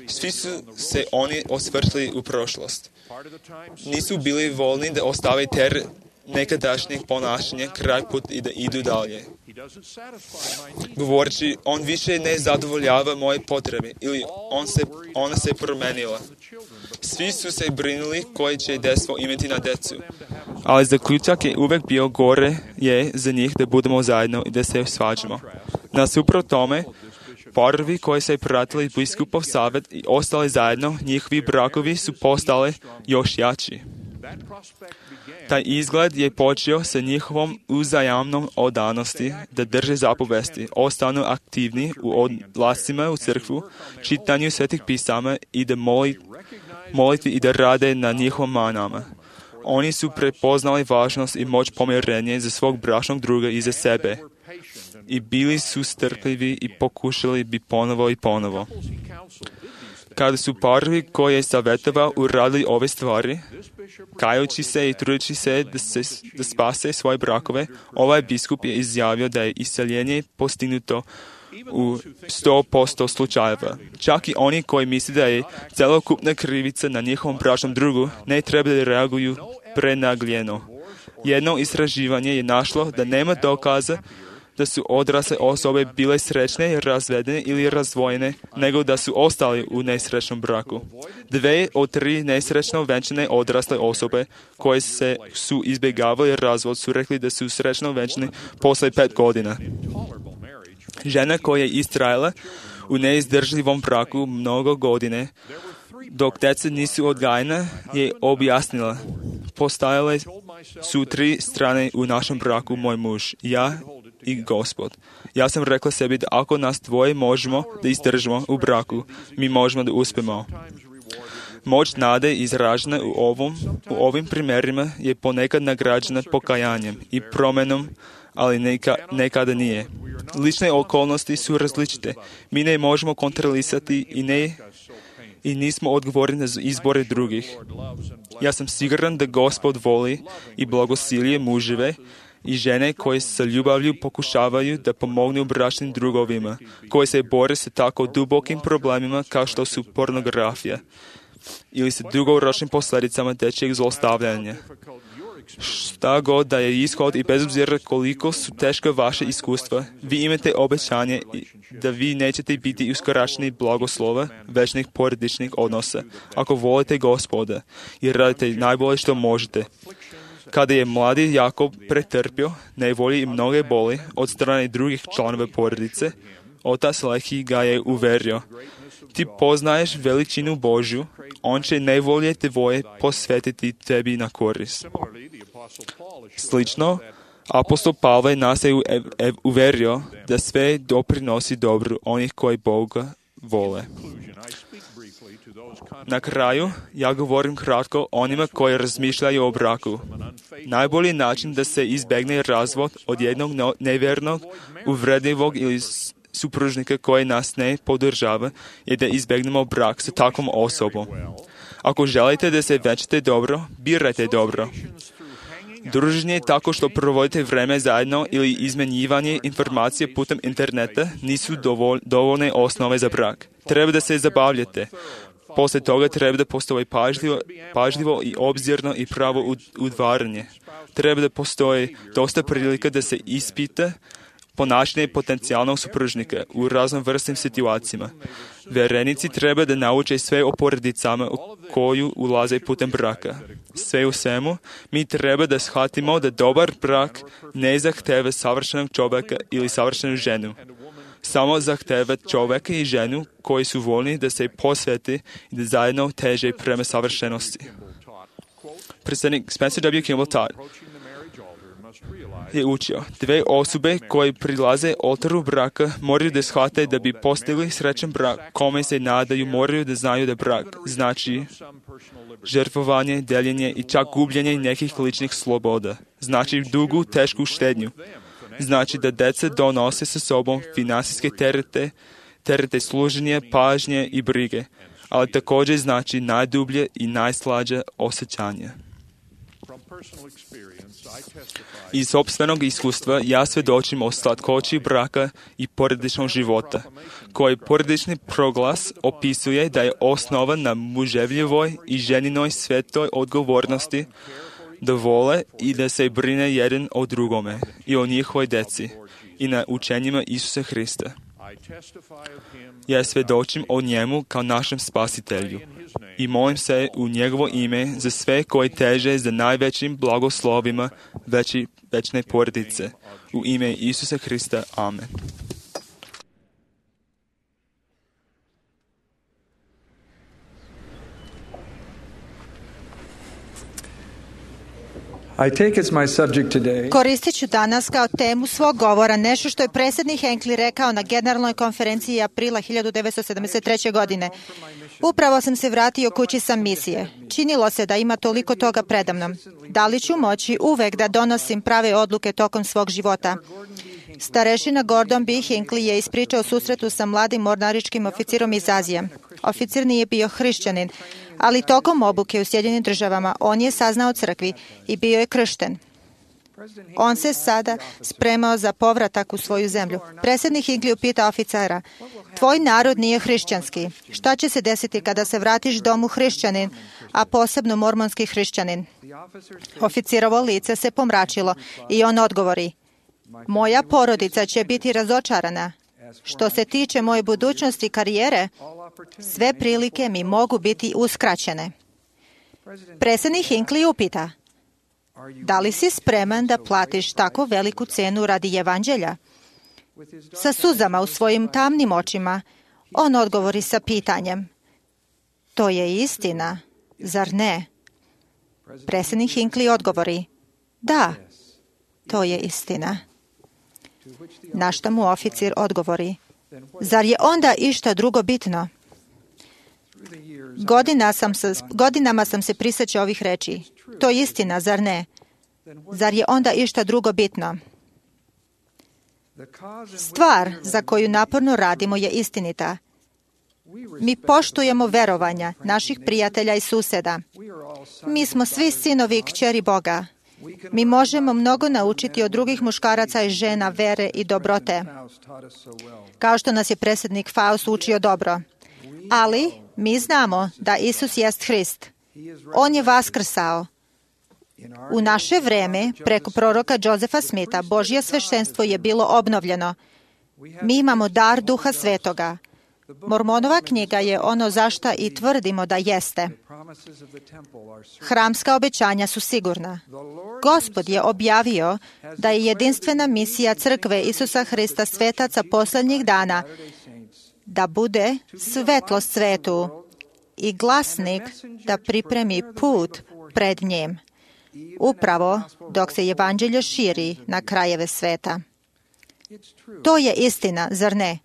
Svi su se oni osvrtili u prošlost. Nisu bili voljni da ostave ter nekadašnjeg ponašanja kraj put i da idu dalje. Govoreći, on više ne zadovoljava moje potrebe ili ona se promenila. Svi su se brinuli koji će dejstvo imati na decu. Ali zaključak je uvek bio gore je za njih da budemo zajedno i da se svađamo. Nasuprot tome, parovi koji se pratili biskupov savjet i ostali zajedno, njihovi brakovi su postali još jači. Taj izgled je počeo sa njihovom uzajamnom odanosti da drže zapovesti, ostanu aktivni u odlascima u crkvu, čitanju svetih pisama i da molitvi i da rade na njihovom manama. Oni su prepoznali važnost i moć pomirenja za svog bračnog druga i za sebe. I bili su strpljivi i pokušali bi ponovo i ponovo. Kada su parovi koje je savjetovao uradili ove stvari, kajući se i trudeći se da spase svoje brakove, ovaj biskup je izjavio da je isceljenje postignuto u 100% slučajeva. Čak i oni koji misle da je celokupna krivica na njihovom bračnom drugu, ne treba da reaguju prenagljeno. Jedno istraživanje je našlo da nema dokaza da su odrasle osobe bile srećne, razvedene ili razdvojene, nego da su ostali u nesrećnom braku. 2 od 3 nesrećno venčane odrasle osobe koje su izbjegavali razvod su rekli da su srećno venčane posle 5 godina. Žena koja je istrajala u neizdržljivom braku mnogo godine, dok deca nisu odgajena, je objasnila. Postajale su 3 strane u našem braku, moj muž, ja i Gospod. Ja sam rekla sebi da ako nas dvoje možemo da izdržimo u braku, mi možemo da uspemo. Moć nade izražena u ovim primjerima je ponekad nagrađena pokajanjem i promenom, ali nekada nije. Lične okolnosti su različite. Mi ne možemo kontrolisati i nismo odgovorni za izbore drugih. Ja sam siguran da Gospod voli i blagosilje muževe i žene koje sa ljubavlju pokušavaju da pomognu bračnim drugovima, koji se bore sa tako dubokim problemima kao što su pornografija ili sa dugoročnim posljedicama dečjeg zlostavljanja. Šta god da je ishod i bez obzira koliko su teška vaše iskustva, vi imate obećanje da vi nećete biti uskraćeni blagoslova večnih porodičnih odnosa, ako volite Gospoda i radite najbolje što možete. Kada je mladi Jakob pretrpio nevolje i mnoge boli od strane drugih članova porodice, otac Lehi ga je uverio: ti poznaješ veličinu Božju, on će nevolje tvoje posvetiti tebi na korist. Slično, apostol Pavle nas je uverio da sve doprinosi dobru onih koji Boga vole. Na kraju, ja govorim kratko onima koji razmišljaju o braku. Najbolji način da se izbjegne razvod od jednog nevjernog, uvredljivog ili supružnika koji nas ne podržava je da izbjegnemo brak sa takvom osobom. Ako želite da se većete dobro, birajte dobro. Druženje tako što provodite vreme zajedno ili izmenjivanje informacije putem interneta nisu dovoljne osnove za brak. Treba da se zabavljate. Poslije toga treba da postoji pažljivo i obzirno i pravo udvaranje. Treba da postoji dosta prilika da se ispita ponašanje potencijalnog supružnika u raznovrsnim situacijama. Verenici treba da nauče sve o porodicama u koju ulaze putem braka. Sve u svemu, mi treba da shvatimo da dobar brak ne zahteva savršenog čovjeka ili savršenu ženu. Samo zahteva čovjeka i ženu koji su voljni da se posvete i da zajedno teže prema savršenosti. Predsjednik Spencer W. Kimball Todd je učio: dve osobe koje prilaze oltaru braka moraju da shvate da bi postigli srećan brak kome se nadaju, moraju da znaju da brak znači žrtvovanje, deljenje i čak gubljenje nekih ličnih sloboda. Znači dugu, tešku štednju. Znači da deca donose sa sobom finansijske terete služenja, pažnje i brige, ali također znači najdublje i najslađe osjećanje. Iz sopstvenog iskustva ja svjedočim o slatkoći braka i porodičnog života, koji porodični proglas opisuje da je osnovan na muževljivoj i ženinoj svetoj odgovornosti da vole i da se brine jedan o drugome i o njihovoj deci i na učenjima Isusa Hrista. Ja svjedočim o njemu kao našem spasitelju i molim se u njegovo ime za sve koji teže za najvećim blagoslovima večne porodice. U ime Isusa Hrista. Amen. Koristit ću danas kao temu svog govora nešto što je predsjednik Hinckley rekao na Generalnoj konferenciji aprila 1973. godine. Upravo sam se vratio kući sa misije. Činilo se da ima toliko toga predamnom. Da li ću moći uvek da donosim prave odluke tokom svog života? Starešina Gordon B. Hinckley je ispričao susretu sa mladim mornaričkim oficirom iz Azije. Oficir nije bio hrišćanin, ali tokom obuke u Sjedinjenim Državama on je saznao o crkvi i bio je kršten. On se sada spremao za povratak u svoju zemlju. Predsjednik Hinckley upita oficera: tvoj narod nije hrišćanski. Šta će se desiti kada se vratiš domu hrišćanin, a posebno mormonski hrišćanin? Oficirovo lice se pomračilo i on odgovori: moja porodica će biti razočarana. Što se tiče moje budućnosti i karijere, sve prilike mi mogu biti uskraćene. Predsjednik Hinckley upita: da li si spreman da platiš tako veliku cenu radi evanđelja? Sa suzama u svojim tamnim očima, on odgovori sa pitanjem: to je istina, zar ne? Predsjednik Hinckley odgovori: da, to je istina. Na što mu oficir odgovori: zar je onda išta drugo bitno? Godinama sam se prisjećao ovih reči. To je istina, zar ne? Zar je onda išta drugo bitno? Stvar za koju naporno radimo je istinita. Mi poštujemo verovanja naših prijatelja i susjeda. Mi smo svi sinovi i kćeri Boga. Mi možemo mnogo naučiti od drugih muškaraca i žena vere i dobrote, kao što nas je predsjednik Faust učio dobro. Ali mi znamo da Isus jest Hrist. On je vaskrsao. U naše vreme, preko proroka Josefa Smitha, Božje sveštenstvo je bilo obnovljeno. Mi imamo dar Duha Svetoga. Mormonova knjiga je ono zašta i tvrdimo da jeste. Hramska obećanja su sigurna. Gospod je objavio da je jedinstvena misija crkve Isusa Hrista svetaca poslednjih dana da bude svetlost svetu i glasnik da pripremi put pred njim, upravo dok se evanđelje širi na krajeve sveta. To je istina, zar ne?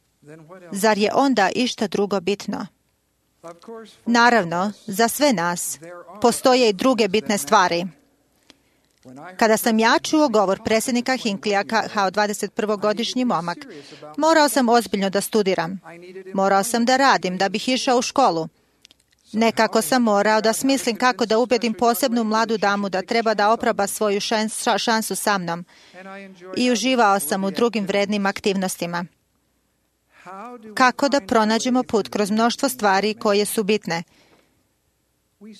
Zar je onda išta drugo bitno? Naravno, za sve nas postoje i druge bitne stvari. Kada sam ja čuo govor predsjednika Hinkleyja kao 21-godišnji momak, morao sam ozbiljno da studiram. Morao sam da radim da bih išao u školu. Nekako sam morao da smislim kako da ubedim posebnu mladu damu da treba da oproba svoju šansu sa mnom. I uživao sam u drugim vrednim aktivnostima. Kako da pronađemo put kroz mnoštvo stvari koje su bitne?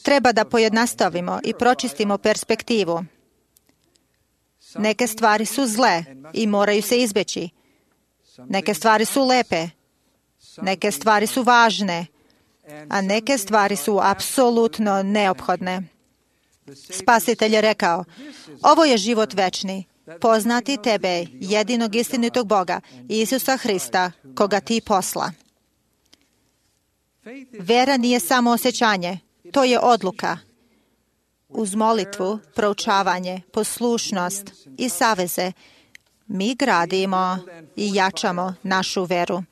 Treba da pojednostavimo i pročistimo perspektivu. Neke stvari su zle i moraju se izbeći. Neke stvari su lepe. Neke stvari su važne. A neke stvari su apsolutno neophodne. Spasitelj je rekao, ovo je život večni, poznati tebe, jedinog istinitog Boga, Isusa Hrista, koga ti posla. Vera nije samo osjećanje, to je odluka. Uz molitvu, proučavanje, poslušnost i saveze, mi gradimo i jačamo našu veru.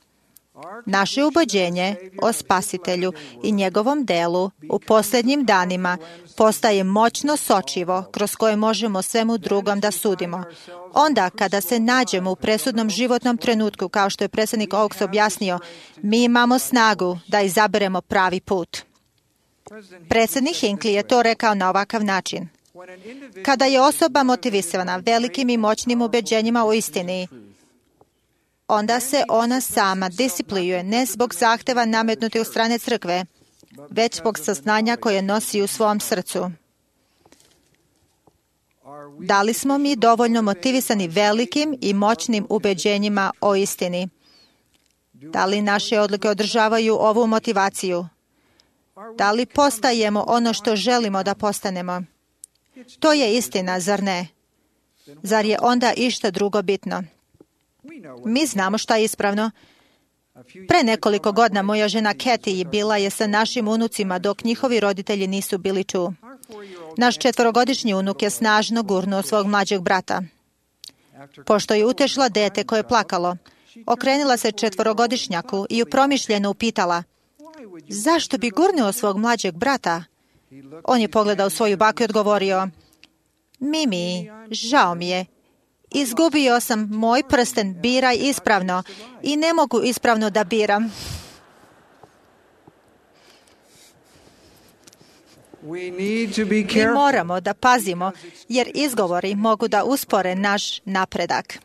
Naše ubeđenje o Spasitelju i njegovom delu u posljednjim danima postaje moćno sočivo kroz koje možemo svemu drugom da sudimo. Onda kada se nađemo u presudnom životnom trenutku, kao što je predsjednik Oaks objasnio, mi imamo snagu da izaberemo pravi put. Predsjednik Hinckley je to rekao na ovakav način. Kada je osoba motivisana velikim i moćnim ubeđenjima o istini, onda se ona sama disciplinuje ne zbog zahteva nametnutih od strane crkve, već zbog saznanja koje nosi u svom srcu. Da li smo mi dovoljno motivisani velikim i moćnim ubeđenjima o istini? Da li naše odluke održavaju ovu motivaciju? Da li postajemo ono što želimo da postanemo? To je istina, zar ne? Zar je onda išta drugo bitno? Mi znamo šta je ispravno. Pre nekoliko godina moja žena Kathy bila je sa našim unucima dok njihovi roditelji nisu bili tu. Naš 4-godišnji unuk je snažno gurnuo svog mlađeg brata. Pošto je utešila dete koje je plakalo, okrenula se 4-godišnjaku i upromišljeno upitala, zašto bi gurnuo svog mlađeg brata? On je pogledao svoju baku i odgovorio, Mimi, žao mi je. Izgubio sam moj prsten, biraj ispravno i ne mogu ispravno da biram. Mi moramo da pazimo, jer izgovori mogu da uspore naš napredak.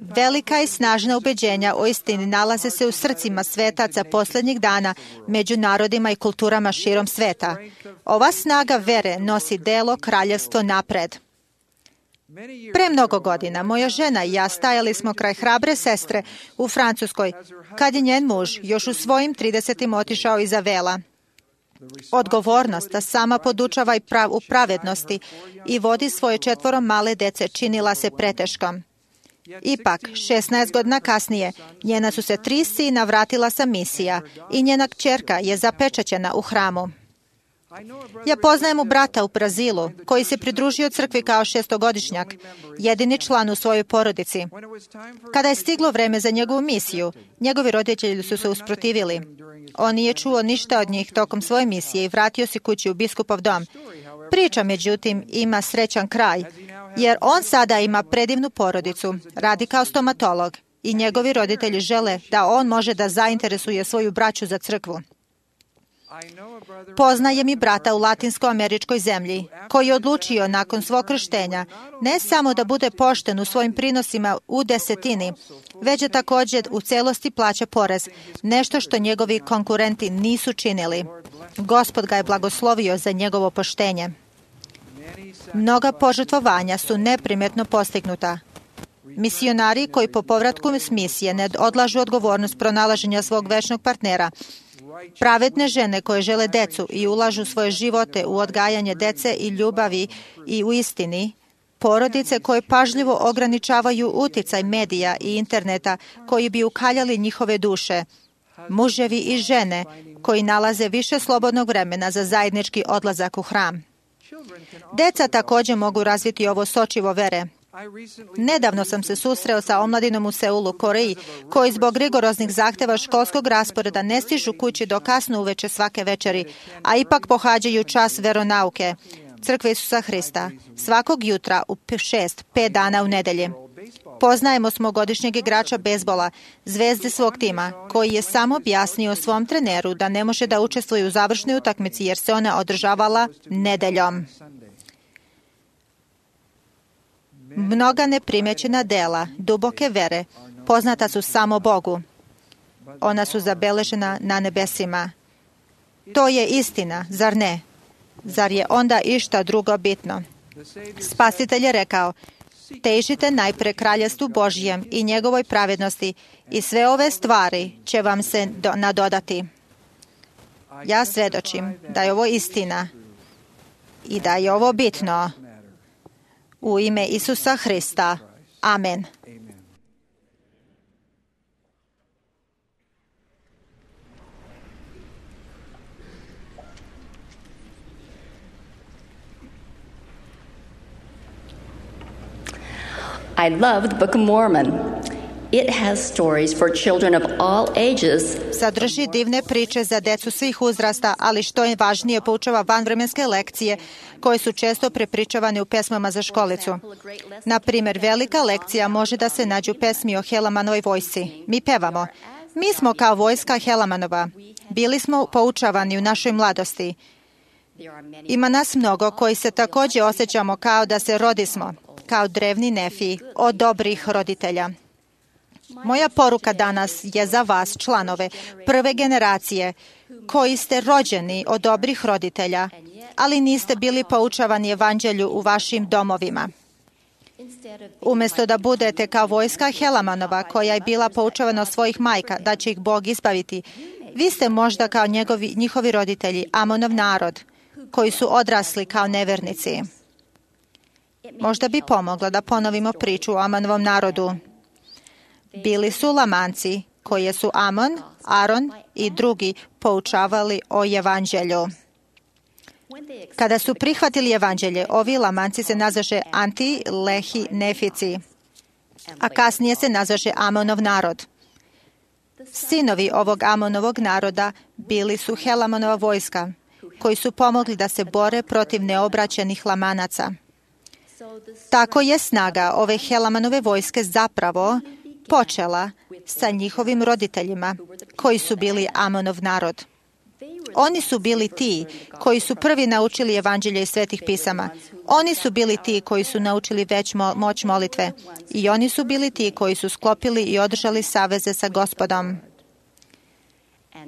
Velika i snažna ubeđenja o istini nalaze se u srcima svetaca posljednjih dana među narodima i kulturama širom sveta. Ova snaga vere nosi delo kraljevstvo napred. Pre mnogo godina moja žena i ja stajali smo kraj hrabre sestre u Francuskoj, kad je njen muž još u svojim 30-im otišao iza vela. Odgovornost da sama podučava u pravednosti i vodi svoje 4 male dece činila se preteškom. Ipak, 16 godina kasnije, njena su se 3 sina vratila sa misija i njena kćerka je zapečaćena u hramu. Ja poznajem brata u Brazilu, koji se pridružio crkvi kao 6-godišnjak, jedini član u svojoj porodici. Kada je stiglo vreme za njegovu misiju, njegovi roditelji su se usprotivili. On nije čuo ništa od njih tokom svoje misije i vratio se kući u biskupov dom. Priča, međutim, ima srećan kraj, jer on sada ima predivnu porodicu, radi kao stomatolog i njegovi roditelji žele da on može da zainteresuje svoju braću za crkvu. Poznajem i brata u latinsko-američkoj zemlji, koji je odlučio nakon svog krštenja ne samo da bude pošten u svojim prinosima u desetini, već da također u celosti plaća porez, nešto što njegovi konkurenti nisu činili. Gospod ga je blagoslovio za njegovo poštenje. Mnoga požrtvovanja su neprimjetno postignuta. Misionari koji po povratku s misije ne odlažu odgovornost pronalaženja svog večnog partnera, pravedne žene koje žele decu i ulažu svoje živote u odgajanje dece i ljubavi i u istini, porodice koje pažljivo ograničavaju uticaj medija i interneta koji bi ukaljali njihove duše, muževi i žene koji nalaze više slobodnog vremena za zajednički odlazak u hram. Deca također mogu razviti ovo sočivo vere. Nedavno sam se susreo sa omladinom u Seulu, Koreji, koji zbog rigoroznih zahteva školskog rasporeda ne stižu kući do kasno uveče svake večeri, a ipak pohađaju čas veronauke, Crkve Isusa Hrista, svakog jutra u 5 dana u nedelji. Poznajemo smogodišnjeg igrača bejzbola, zvezde svog tima, koji je sam objasnio svom treneru da ne može da učestvuje u završnoj utakmici jer se ona održavala nedeljom. Mnoga neprimjećena dela duboke vere poznata su samo Bogu. Ona su zabeležena na nebesima. To je istina, zar ne? Zar je onda išta drugo bitno? Spasitelj je rekao, težite najpre kraljevstvu Božjem i njegovoj pravednosti i sve ove stvari će vam se nadodati. Ja svjedočim da je ovo istina i da je ovo bitno. U ime Isusa Hrista. Amen. I love the Book of Mormon. It has stories for children of all ages. Sadrži divne priče za decu svih uzrasta, ali što je važnije, poučava vanvremenske lekcije koje su često prepričavane u pesmama za školicu. Na primjer, velika lekcija može da se nađe u pesmi o Helamanovoj vojsci. Mi pevamo, mi smo kao vojska Helamanova. Bili smo poučavani u našoj mladosti. Ima nas mnogo koji se također osjećamo kao da se rodismo, kao drevni Nefi, od dobrih roditelja. Moja poruka danas je za vas, članove prve generacije, koji ste rođeni od dobrih roditelja, ali niste bili poučavani evanđelju u vašim domovima. Umjesto da budete kao vojska Helamanova, koja je bila poučavana od svojih majka, da će ih Bog izbaviti, vi ste možda kao njihovi roditelji, Amonov narod, koji su odrasli kao nevernici. Možda bi pomoglo da ponovimo priču o Amonovom narodu. Bili su Lamanci, koje su Amon, Aron i drugi poučavali o evanđelju. Kada su prihvatili evanđelje, ovi Lamanci se nazvaše Anti-Lehi Nefici, a kasnije se nazvaše Amonov narod. Sinovi ovog Amonovog naroda bili su Helamanova vojska, koji su pomogli da se bore protiv neobraćenih Lamanaca. Tako je snaga ove Helamanove vojske zapravo počela sa njihovim roditeljima, koji su bili Amonov narod. Oni su bili ti koji su prvi naučili evanđelje iz svetih pisama. Oni su bili ti koji su naučili moć molitve. I oni su bili ti koji su sklopili i održali saveze sa Gospodom.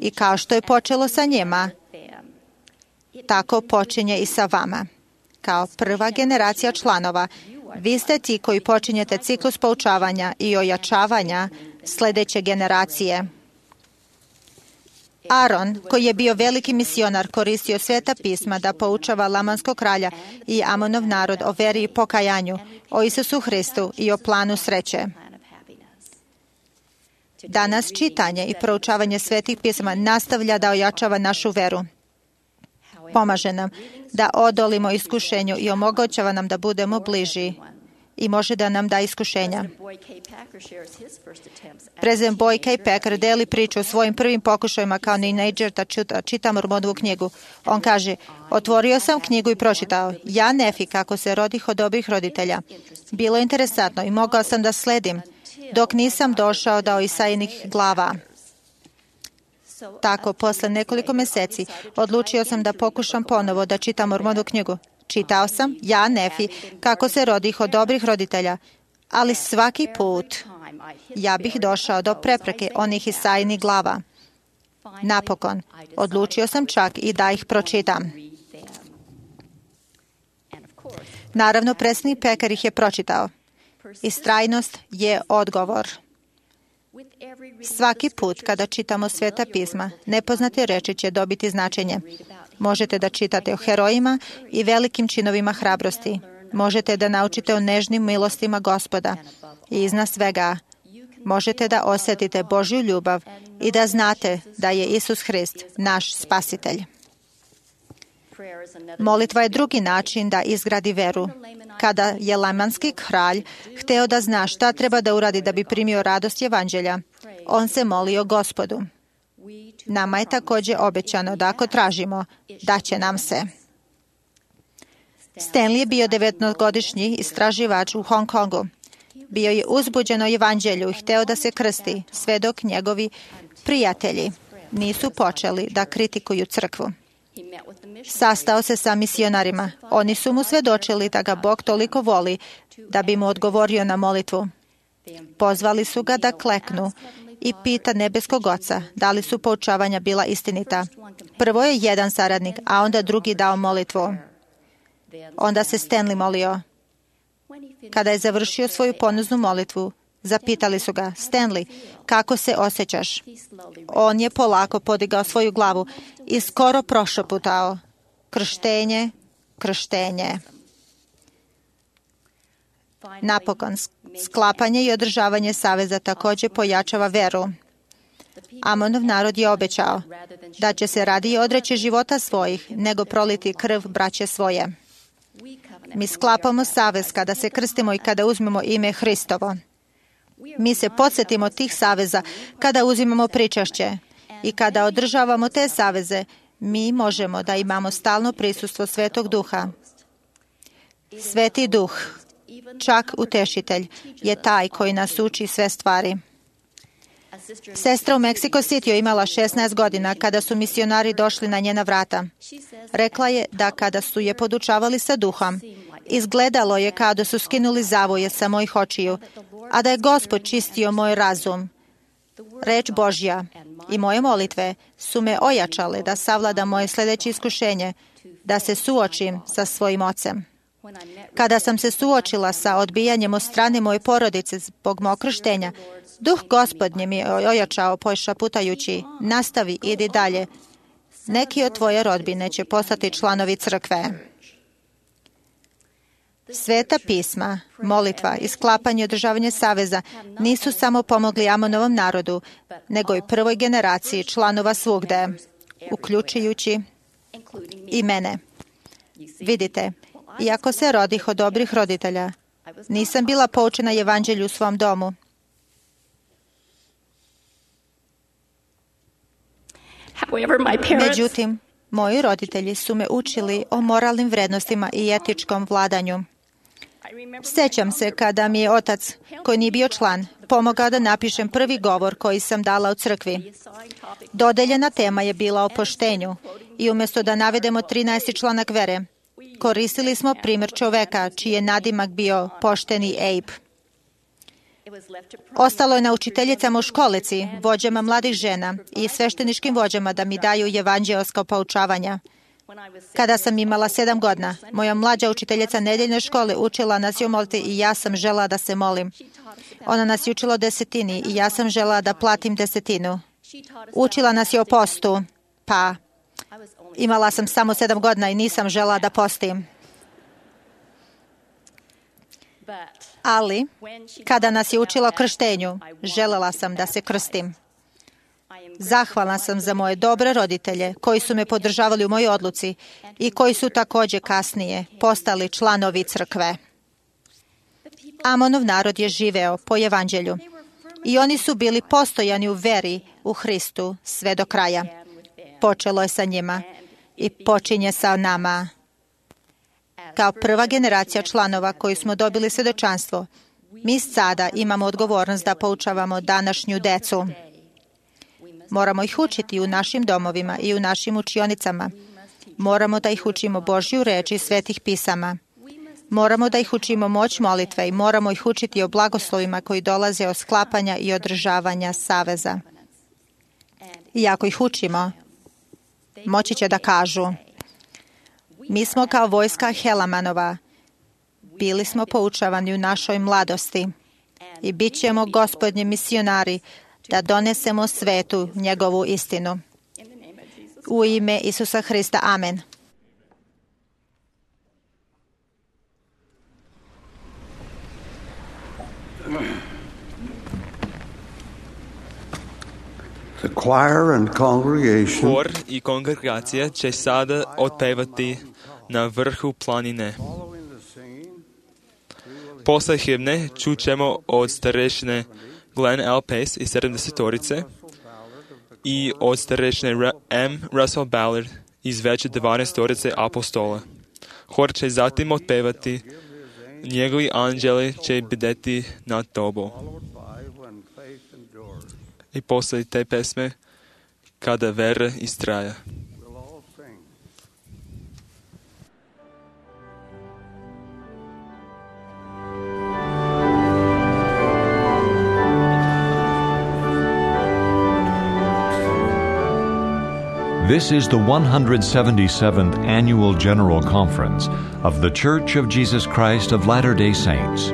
I kao što je počelo sa njima, tako počinje i sa vama. Kao prva generacija članova, vi ste ti koji počinjete ciklus poučavanja i ojačavanja sljedeće generacije. Aron, koji je bio veliki misionar, koristio sveta pisma da poučava Lamanskog kralja i Amonov narod o veri i pokajanju, o Isusu Hristu i o planu sreće. Danas čitanje i proučavanje svetih pisama nastavlja da ojačava našu veru. Pomaže nam da odolimo iskušenju i omogućava nam da budemo bliži i može da nam da iskušenja. Prezident Boy K. Packer deli priču o svojim prvim pokušajima kao teenager da čita Mormonovu knjigu. On kaže, otvorio sam knjigu i pročitao, ja Nefi, kako se rodih od dobrih roditelja. Bilo je interesantno i mogao sam da sledim, dok nisam došao do Isaijinih glava. Tako, posle nekoliko mjeseci, odlučio sam da pokušam ponovo da čitam Mormonovu knjigu. Čitao sam, ja, Nefi, kako se rodih od dobrih roditelja, ali svaki put ja bih došao do prepreke onih Isaijinih glava. Napokon, odlučio sam čak i da ih pročitam. Naravno, predsjednik Pekar ih je pročitao. Istrajnost je odgovor. Svaki put kada čitamo Sveta pisma, nepoznate reči će dobiti značenje. Možete da čitate o herojima i velikim činovima hrabrosti. Možete da naučite o nežnim milostima Gospoda. I iznad svega, možete da osjetite Božju ljubav i da znate da je Isus Hrist naš spasitelj. Molitva je drugi način da izgradi veru. Kada je lamanski kralj hteo da zna šta treba da uradi da bi primio radost evanđelja, on se molio Gospodu. Nama je također obećano da ako tražimo, da će nam se. Stanley je bio 19-godišnji istraživač u Hong Kongu. Bio je uzbuđen o evanđelju i hteo da se krsti, sve dok njegovi prijatelji nisu počeli da kritikuju crkvu. Sastao se sa misionarima. Oni su mu svedočili da ga Bog toliko voli da bi mu odgovorio na molitvu. Pozvali su ga da kleknu i pita nebeskog Oca da li su poučavanja bila istinita. Prvo je jedan saradnik, a onda drugi dao molitvu. Onda se Stanley molio. Kada je završio svoju ponuznu molitvu, zapitali su ga: Stanley, kako se osjećaš? On je polako podigao svoju glavu i skoro prošaputao: krštenje, krštenje. Napokon, sklapanje i održavanje saveza također pojačava veru. Amonov narod je obećao da će se radije odreći života svojih nego proliti krv braće svoje. Mi sklapamo savez kada se krstimo i kada uzmemo ime Hristovo. Mi se podsjetimo tih saveza kada uzimamo pričašće i kada održavamo te saveze, mi možemo da imamo stalno prisustvo Svetog Duha. Sveti Duh, čak utešitelj, je taj koji nas uči sve stvari. Sestra u Mexico City imala 16 godina kada su misionari došli na njena vrata. Rekla je da kada su je podučavali sa duhom, izgledalo je kao da su skinuli zavoje sa mojih očiju, a da je Gospod čistio moj razum. Reč Božja i moje molitve su me ojačale da savladam moje sljedeće iskušenje, da se suočim sa svojim ocem. Kada sam se suočila sa odbijanjem od strane moje porodice zbog mog krštenja, Duh Gospodnje mi je ojačao pošaputajući: nastavi, idi dalje. Neki od tvoje rodbine će postati članovi crkve. Sveta pisma, molitva i sklapanje i održavanje saveza nisu samo pomogli Amonovom narodu, nego i prvoj generaciji članova svugde, uključujući i mene. Vidite, iako se rodih od dobrih roditelja, nisam bila poučena evanđelju u svom domu. Međutim, moji roditelji su me učili o moralnim vrednostima i etičkom vladanju. Sjećam se kada mi je otac, koji nije bio član, pomogao da napišem prvi govor koji sam dala u crkvi. Dodeljena tema je bila o poštenju i umjesto da navedemo 13. članak vere, koristili smo primjer čoveka čiji je nadimak bio pošteni Abe. Ostalo je na učiteljicama u školici, vođama mladih žena i svešteničkim vođama da mi daju evanđelska poučavanja. Kada sam imala 7 godina, moja mlađa učiteljica nedeljne škole učila nas je o molitvi i ja sam žela da se molim. Ona nas je učila o desetini i ja sam žela da platim desetinu. Učila nas je o postu, pa imala sam samo 7 godina i nisam žela da postim. Ali, kada nas je učila o krštenju, želela sam da se krstim. Zahvalna sam za moje dobre roditelje koji su me podržavali u mojoj odluci i koji su također kasnije postali članovi crkve. Amonov narod je živeo po evanđelju i oni su bili postojani u veri u Hristu sve do kraja. Počelo je sa njima i počinje sa nama. Kao prva generacija članova koji smo dobili svjedočanstvo, mi sada imamo odgovornost da poučavamo današnju decu. Moramo ih učiti u našim domovima i u našim učionicama. Moramo da ih učimo Božju reč i svetih pisama. Moramo da ih učimo moć molitve i moramo ih učiti o blagoslovima koji dolaze od sklapanja i održavanja saveza. I ako ih učimo, moći će da kažu: mi smo kao vojska Helamanova Bili smo poučavani u našoj mladosti i bit ćemo Gospodnji misionari da donesemo svetu njegovu istinu. U ime Isusa Hrista. Amen. The choir and congregation Hor i kongregacija će sada otpevati na vrhu planine. Posle himne čućemo od starešine Glenn L. Pace iz 70-torice i od starešine M. Russell Ballard iz veće 12-torice apostola. Hor će zatim otpevati Njegovi anđeli će bdeti nad tobom. I posle te pesme Kada vera istraja. This is the 177th Annual General Conference of The Church of Jesus Christ of Latter-day Saints.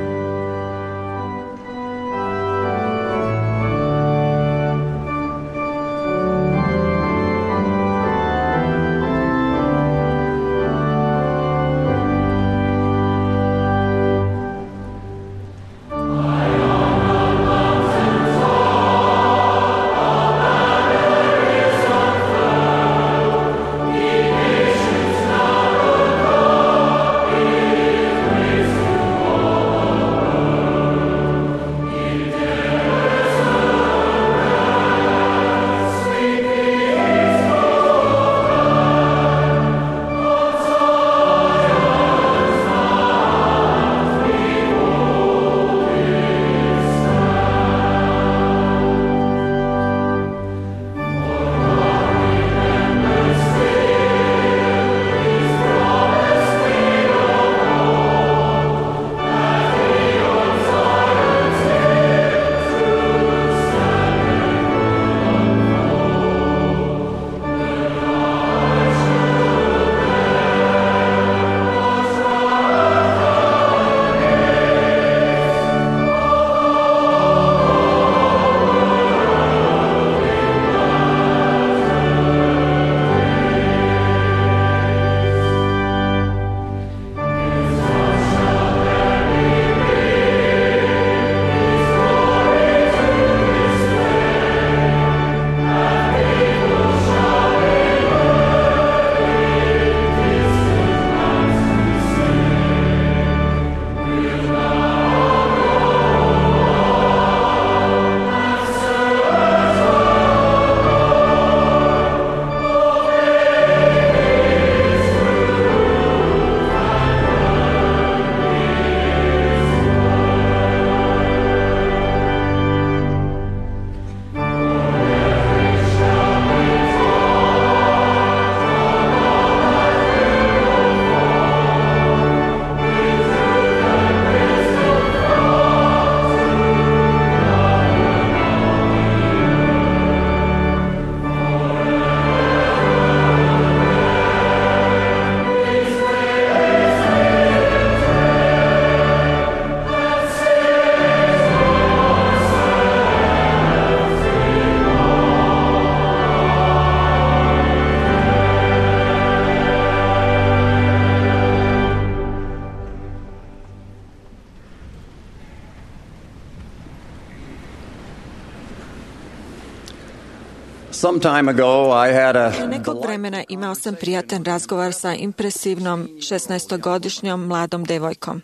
Prije nekog vremena imao sam prijatan razgovor sa impresivnom 16-godišnjom mladom devojkom.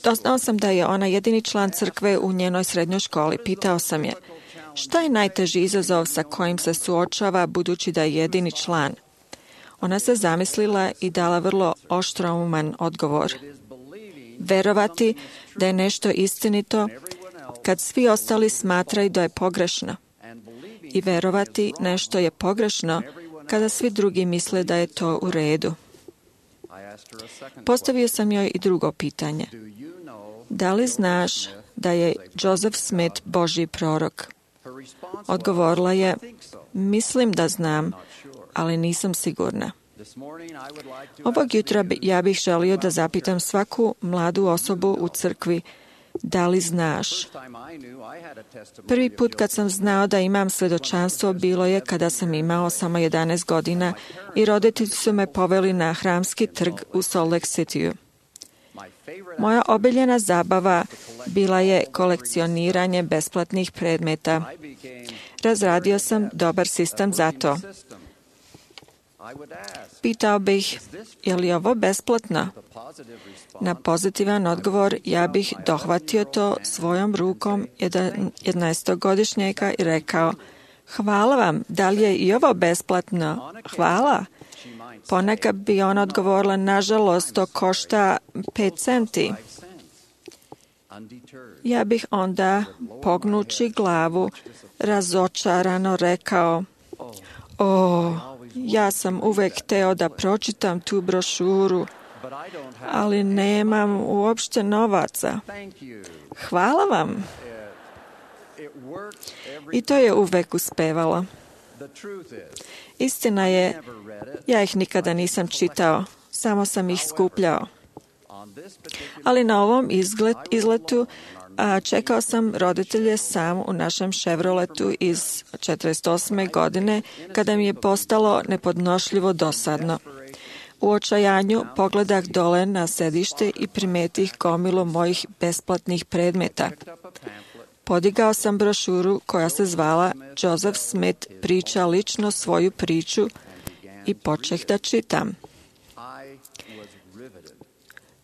Doznao sam da je ona jedini član crkve u njenoj srednjoj školi. Pitao sam je, šta je najteži izazov sa kojim se suočava budući da je jedini član? Ona se zamislila i dala vrlo oštrouman odgovor. Verovati da je nešto istinito kad svi ostali smatraju da je pogrešno. I verovati nešto je pogrešno kada svi drugi misle da je to u redu. Postavio sam joj i drugo pitanje. Da li znaš da je Joseph Smith Božji prorok? Odgovorila je, mislim da znam, ali nisam sigurna. Ovog jutra ja bih želio da zapitam svaku mladu osobu u crkvi, da li znaš? Prvi put kad sam znao da imam svedočanstvo bilo je kada sam imao samo 11 godina i roditelji su me poveli na Hramski trg u Salt Lake Cityu. Moja omiljena zabava bila je kolekcioniranje besplatnih predmeta. Razradio sam dobar sistem za to. Pitao bih, je li ovo besplatno? Na pozitivan odgovor ja bih dohvatio to svojom rukom 11-godišnjaka i rekao, hvala vam, da li je i ovo besplatno? Hvala. Ponekad bi ona odgovorila, nažalost, to košta 5 centi. Ja bih onda, pognući glavu, razočarano rekao, ja sam uvek hteo da pročitam tu brošuru, ali nemam uopšte novaca. Hvala vam. I to je uvek uspevalo. Istina je, ja ih nikada nisam čitao, samo sam ih skupljao. Ali na ovom izletu čekao sam roditelje sam u našem Chevroletu iz 48. godine, kada mi je postalo nepodnošljivo dosadno. U očajanju pogledah dole na sedište i primetih gomilu mojih besplatnih predmeta. Podigao sam brošuru koja se zvala Joseph Smith priča lično svoju priču i počeh da čitam.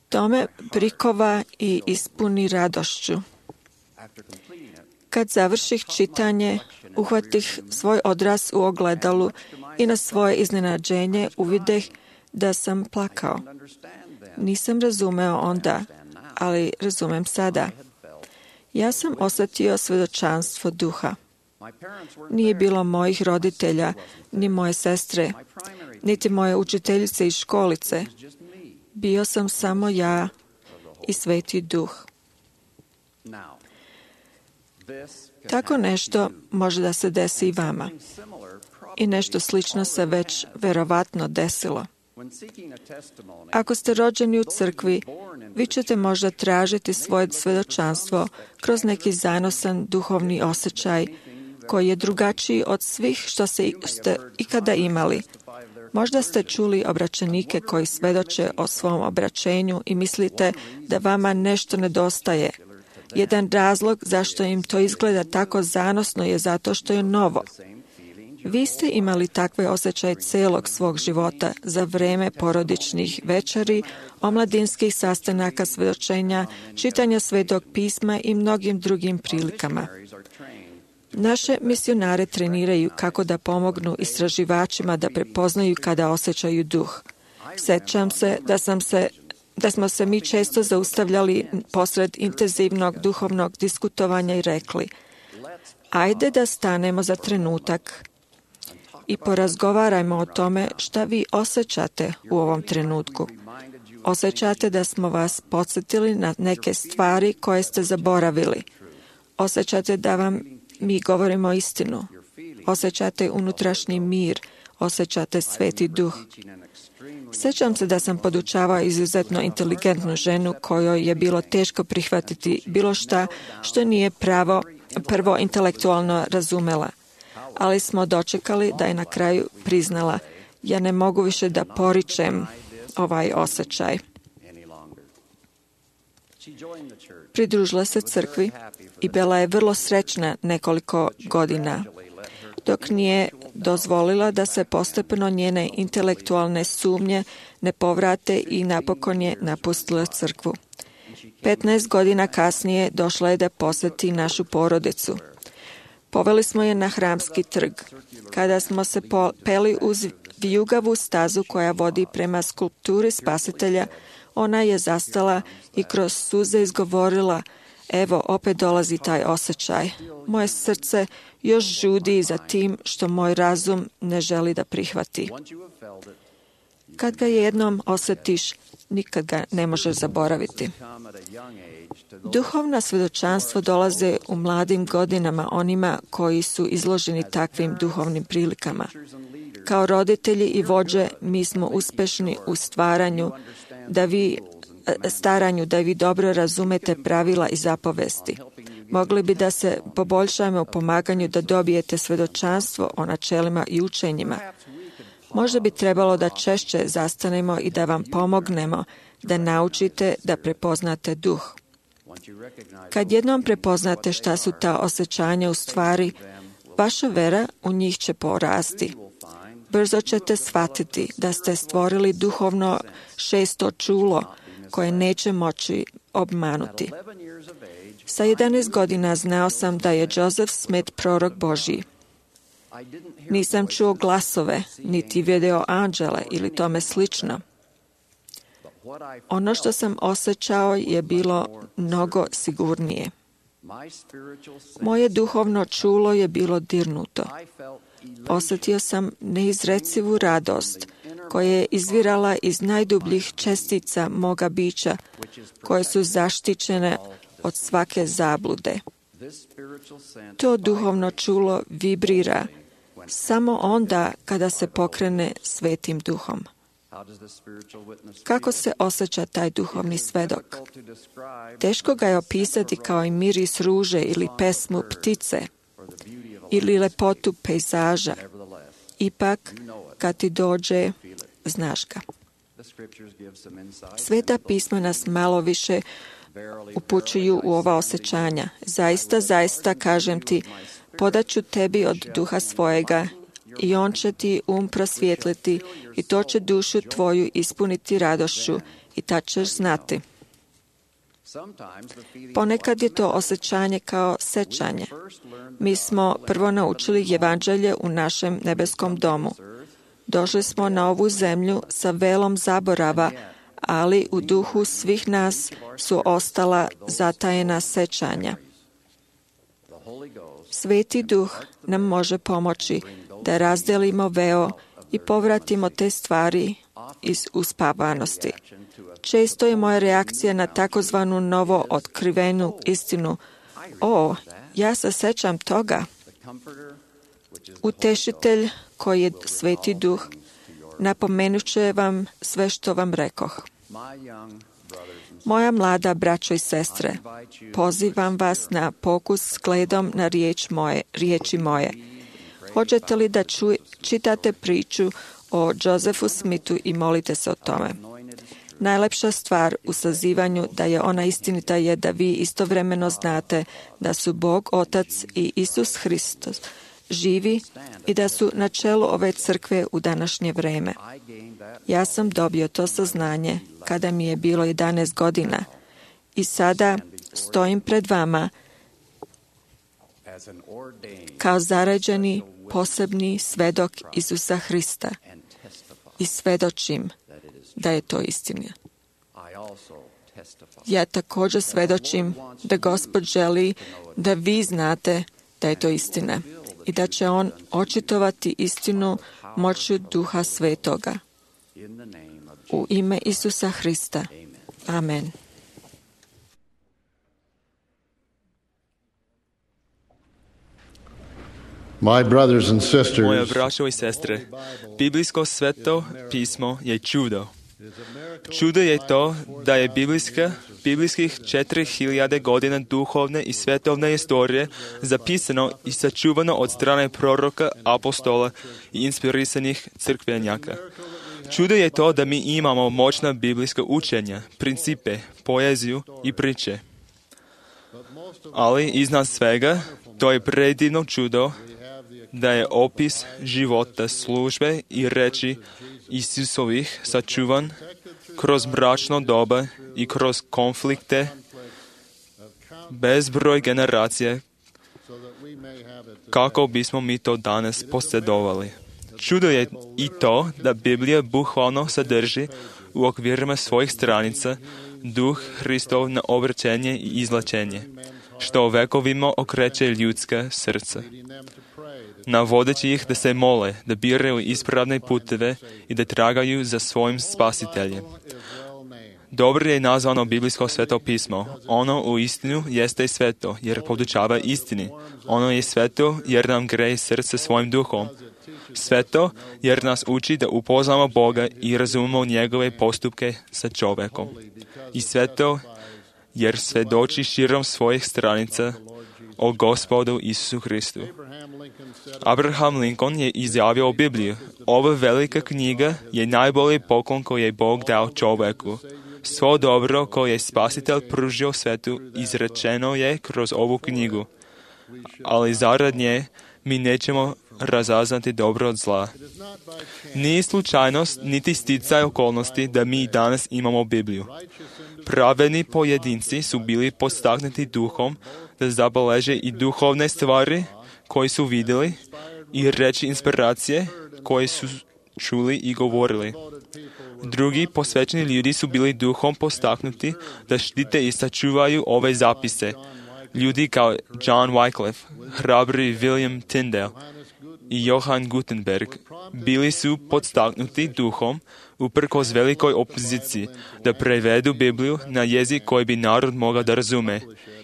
To me prikova i ispuni radošću. Kad završih čitanje, uhvatih svoj odraz u ogledalu i na svoje iznenađenje uvideh da sam plakao. Nisam razumeo onda, ali razumem sada. Ja sam osetio svedočanstvo duha. Nije bilo mojih roditelja, ni moje sestre, niti moje učiteljice iz školice. Bio sam samo ja i Sveti Duh. Tako nešto može da se desi i vama. I nešto slično se već verovatno desilo. Ako ste rođeni u crkvi, vi ćete možda tražiti svoje svedočanstvo kroz neki zanosan duhovni osjećaj koji je drugačiji od svih što ste ikada imali. Možda ste čuli obraćenike koji svedoče o svom obraćenju i mislite da vama nešto nedostaje. Jedan razlog zašto im to izgleda tako zanosno je zato što je novo. Vi ste imali takve osjećaje celog svog života za vreme porodičnih večeri, omladinskih sastanaka svedočenja, čitanja Svetog pisma i mnogim drugim prilikama. Naše misionare treniraju kako da pomognu istraživačima da prepoznaju kada osjećaju duh. Sećam se da smo se mi često zaustavljali posred intenzivnog duhovnog diskutovanja i rekli, ajde da stanemo za trenutak i porazgovarajmo o tome šta vi osjećate u ovom trenutku. Osjećate da smo vas podsjetili na neke stvari koje ste zaboravili. Osjećate da vam mi govorimo istinu. Osjećate unutrašnji mir. Osjećate Sveti Duh. Sećam se da sam podučavao izuzetno inteligentnu ženu kojoj je bilo teško prihvatiti bilo šta što nije prvo intelektualno razumela. Ali smo dočekali da je na kraju priznala, ja ne mogu više da poričem ovaj osjećaj. Pridružila se crkvi i bila je vrlo srećna nekoliko godina, dok nije dozvolila da se postepeno njene intelektualne sumnje ne povrate i napokon je napustila crkvu. 15 godina kasnije došla je da poseti našu porodicu. Poveli smo je na Hramski trg. Kada smo se peli uz vijugavu stazu koja vodi prema skulpturi Spasitelja, ona je zastala i kroz suze izgovorila, evo, opet dolazi taj osjećaj. Moje srce još žudi za tim što moj razum ne želi da prihvati. Kad ga jednom osjetiš, nikad ga ne možeš zaboraviti. Duhovna svjedočanstvo dolaze u mladim godinama onima koji su izloženi takvim duhovnim prilikama. Kao roditelji i vođe mi smo uspešni u staranju da vi dobro razumete pravila i zapovesti. Mogli bi da se poboljšamo u pomaganju da dobijete svjedočanstvo o načelima i učenjima. Možda bi trebalo da češće zastanemo i da vam pomognemo da naučite da prepoznate duh. Kad jednom prepoznate šta su ta osjećanja u stvari, vaša vera u njih će porasti. Brzo ćete shvatiti da ste stvorili duhovno šesto čulo koje neće moći obmanuti. Sa 11 godina znao sam da je Joseph Smith prorok Božji. Nisam čuo glasove, niti video anđele ili tome slično. Ono što sam osjećao je bilo mnogo sigurnije. Moje duhovno čulo je bilo dirnuto. Osjetio sam neizrecivu radost koja je izvirala iz najdubljih čestica moga bića, koje su zaštićene od svake zablude. To duhovno čulo vibrira samo onda kada se pokrene Svetim Duhom. Kako se osjeća taj duhovni svedok? Teško ga je opisati kao i miris ruže ili pesmu ptice ili lepotu pejzaža. Ipak, kad ti dođe, znaš ga. Sveta pisma nas malo više upućuju u ova osjećanja. Zaista, zaista, kažem ti, podaću tebi od duha svojega i on će ti prosvijetliti i to će dušu tvoju ispuniti radošću i tad ćeš znati. Ponekad je to osjećanje kao sećanje. Mi smo prvo naučili evanđelje u našem nebeskom domu. Došli smo na ovu zemlju sa velom zaborava, ali u duhu svih nas su ostala zatajena sećanja. Sveti Duh nam može pomoći da razdelimo veo i povratimo te stvari iz uspavanosti. Često je moja reakcija na takozvanu novo otkrivenu istinu: o, ja se sećam toga. Utešitelj, koji je Sveti Duh, napomenut će vam sve što vam rekoh. Moja mlada braćo i sestre, pozivam vas na pokus s gledom na riječi moje. Hoćete li da čitate priču o Josephu Smithu i molite se o tome? Najlepša stvar u sazivanju da je ona istinita je da vi istovremeno znate da su Bog Otac i Isus Hristos živi i da su na čelu ove crkve u današnje vreme. Ja sam dobio to saznanje kada mi je bilo 11 godina i sada stojim pred vama kao zaređeni posebni svedok Isusa Hrista i svedočim da je to istina. Ja također svedočim da Gospod želi da vi znate da je to istina i da će On očitovati istinu moću Duha Svetoga. U ime Isusa Hrista. Amen. Moja braćo i sestre, biblijsko sveto pismo je čudo. Čudo je to da je biblijskih 4000 godina duhovne i svetovne istorije zapisano i sačuvano od strane proroka, apostola i inspirisanih crkvenjaka. Čudo je to da mi imamo moćna biblijska učenja, principe, poeziju i priče. Ali iznad svega, to je predivno čudo da je opis života, službe i reči Isusovih sačuvan kroz mračno doba i kroz konflikte bezbroj generacije, kako bismo mi to danas posjedovali. Čudo je i to da Biblija bukvalno sadrži u okvirima svojih stranica duh Hristov na obraćenje i izlačenje, što vekovima okreće ljudska srca, navodeći ih da se mole, da biraju ispravne puteve i da tragaju za svojim spasiteljem. Dobro je nazvano biblijsko sveto pismo. Ono u istinu jeste sveto, jer podučava istini. Ono je sveto, jer nam greje srce svojim duhom. Sveto, jer nas uči da upoznamo Boga i razumemo njegove postupke sa čovjekom. I sveto, jer svedoči širom svojih stranica o Gospodu Isusu Hristu. Abraham Lincoln je izjavio o Bibliji: ova velika knjiga je najbolji poklon koji je Bog dao čovjeku. Svo dobro koje je Spasitelj pružio svetu izrečeno je kroz ovu knjigu. Ali zarad nje mi nećemo razaznati dobro od zla. Nije slučajnost niti sticaj okolnosti da mi danas imamo Bibliju. Pravedni pojedinci su bili podstaknuti duhom da zabeleže i duhovne stvari koje su vidjeli i reći inspiracije koje su čuli i govorili. Drugi posvećeni ljudi su bili duhom postaknuti da štite i sačuvaju ove zapise. Ljudi kao John Wycliffe, hrabri William Tyndale i Johann Gutenberg bili su podstaknuti duhom uprkos velikoj opoziciji da prevedu Bibliju na jezik koji bi narod mogao da razume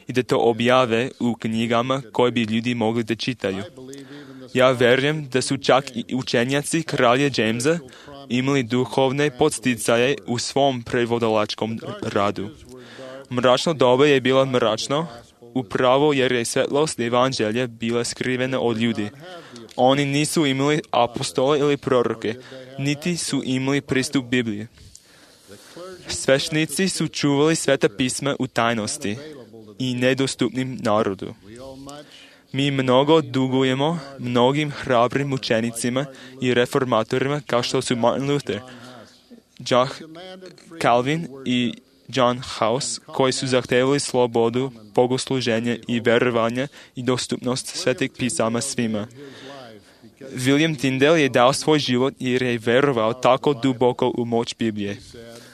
i da to objave u knjigama koje bi ljudi mogli da čitaju. Ja vjerujem da su čak i učenjaci kralja Jamesa imali duhovne podsticaje u svom prevodalačkom radu. Mračno doba je bilo mračno, upravo jer je svetlost evanđelja bila skrivena od ljudi. Oni nisu imali apostole ili proroke, niti su imali pristup Bibliji. Sveštenici su čuvali sveta pisma u tajnosti i nedostupnim narodu. Mi mnogo dugujemo mnogim hrabrim učenicima i reformatorima kao što su Martin Luther, Jack Calvin i John Huss, koji su zahtevali slobodu, bogosluženje i vjerovanje i dostupnost svetih pisama svima. William Tyndale je dao svoj život jer je vjerovao tako duboko u moć Biblije.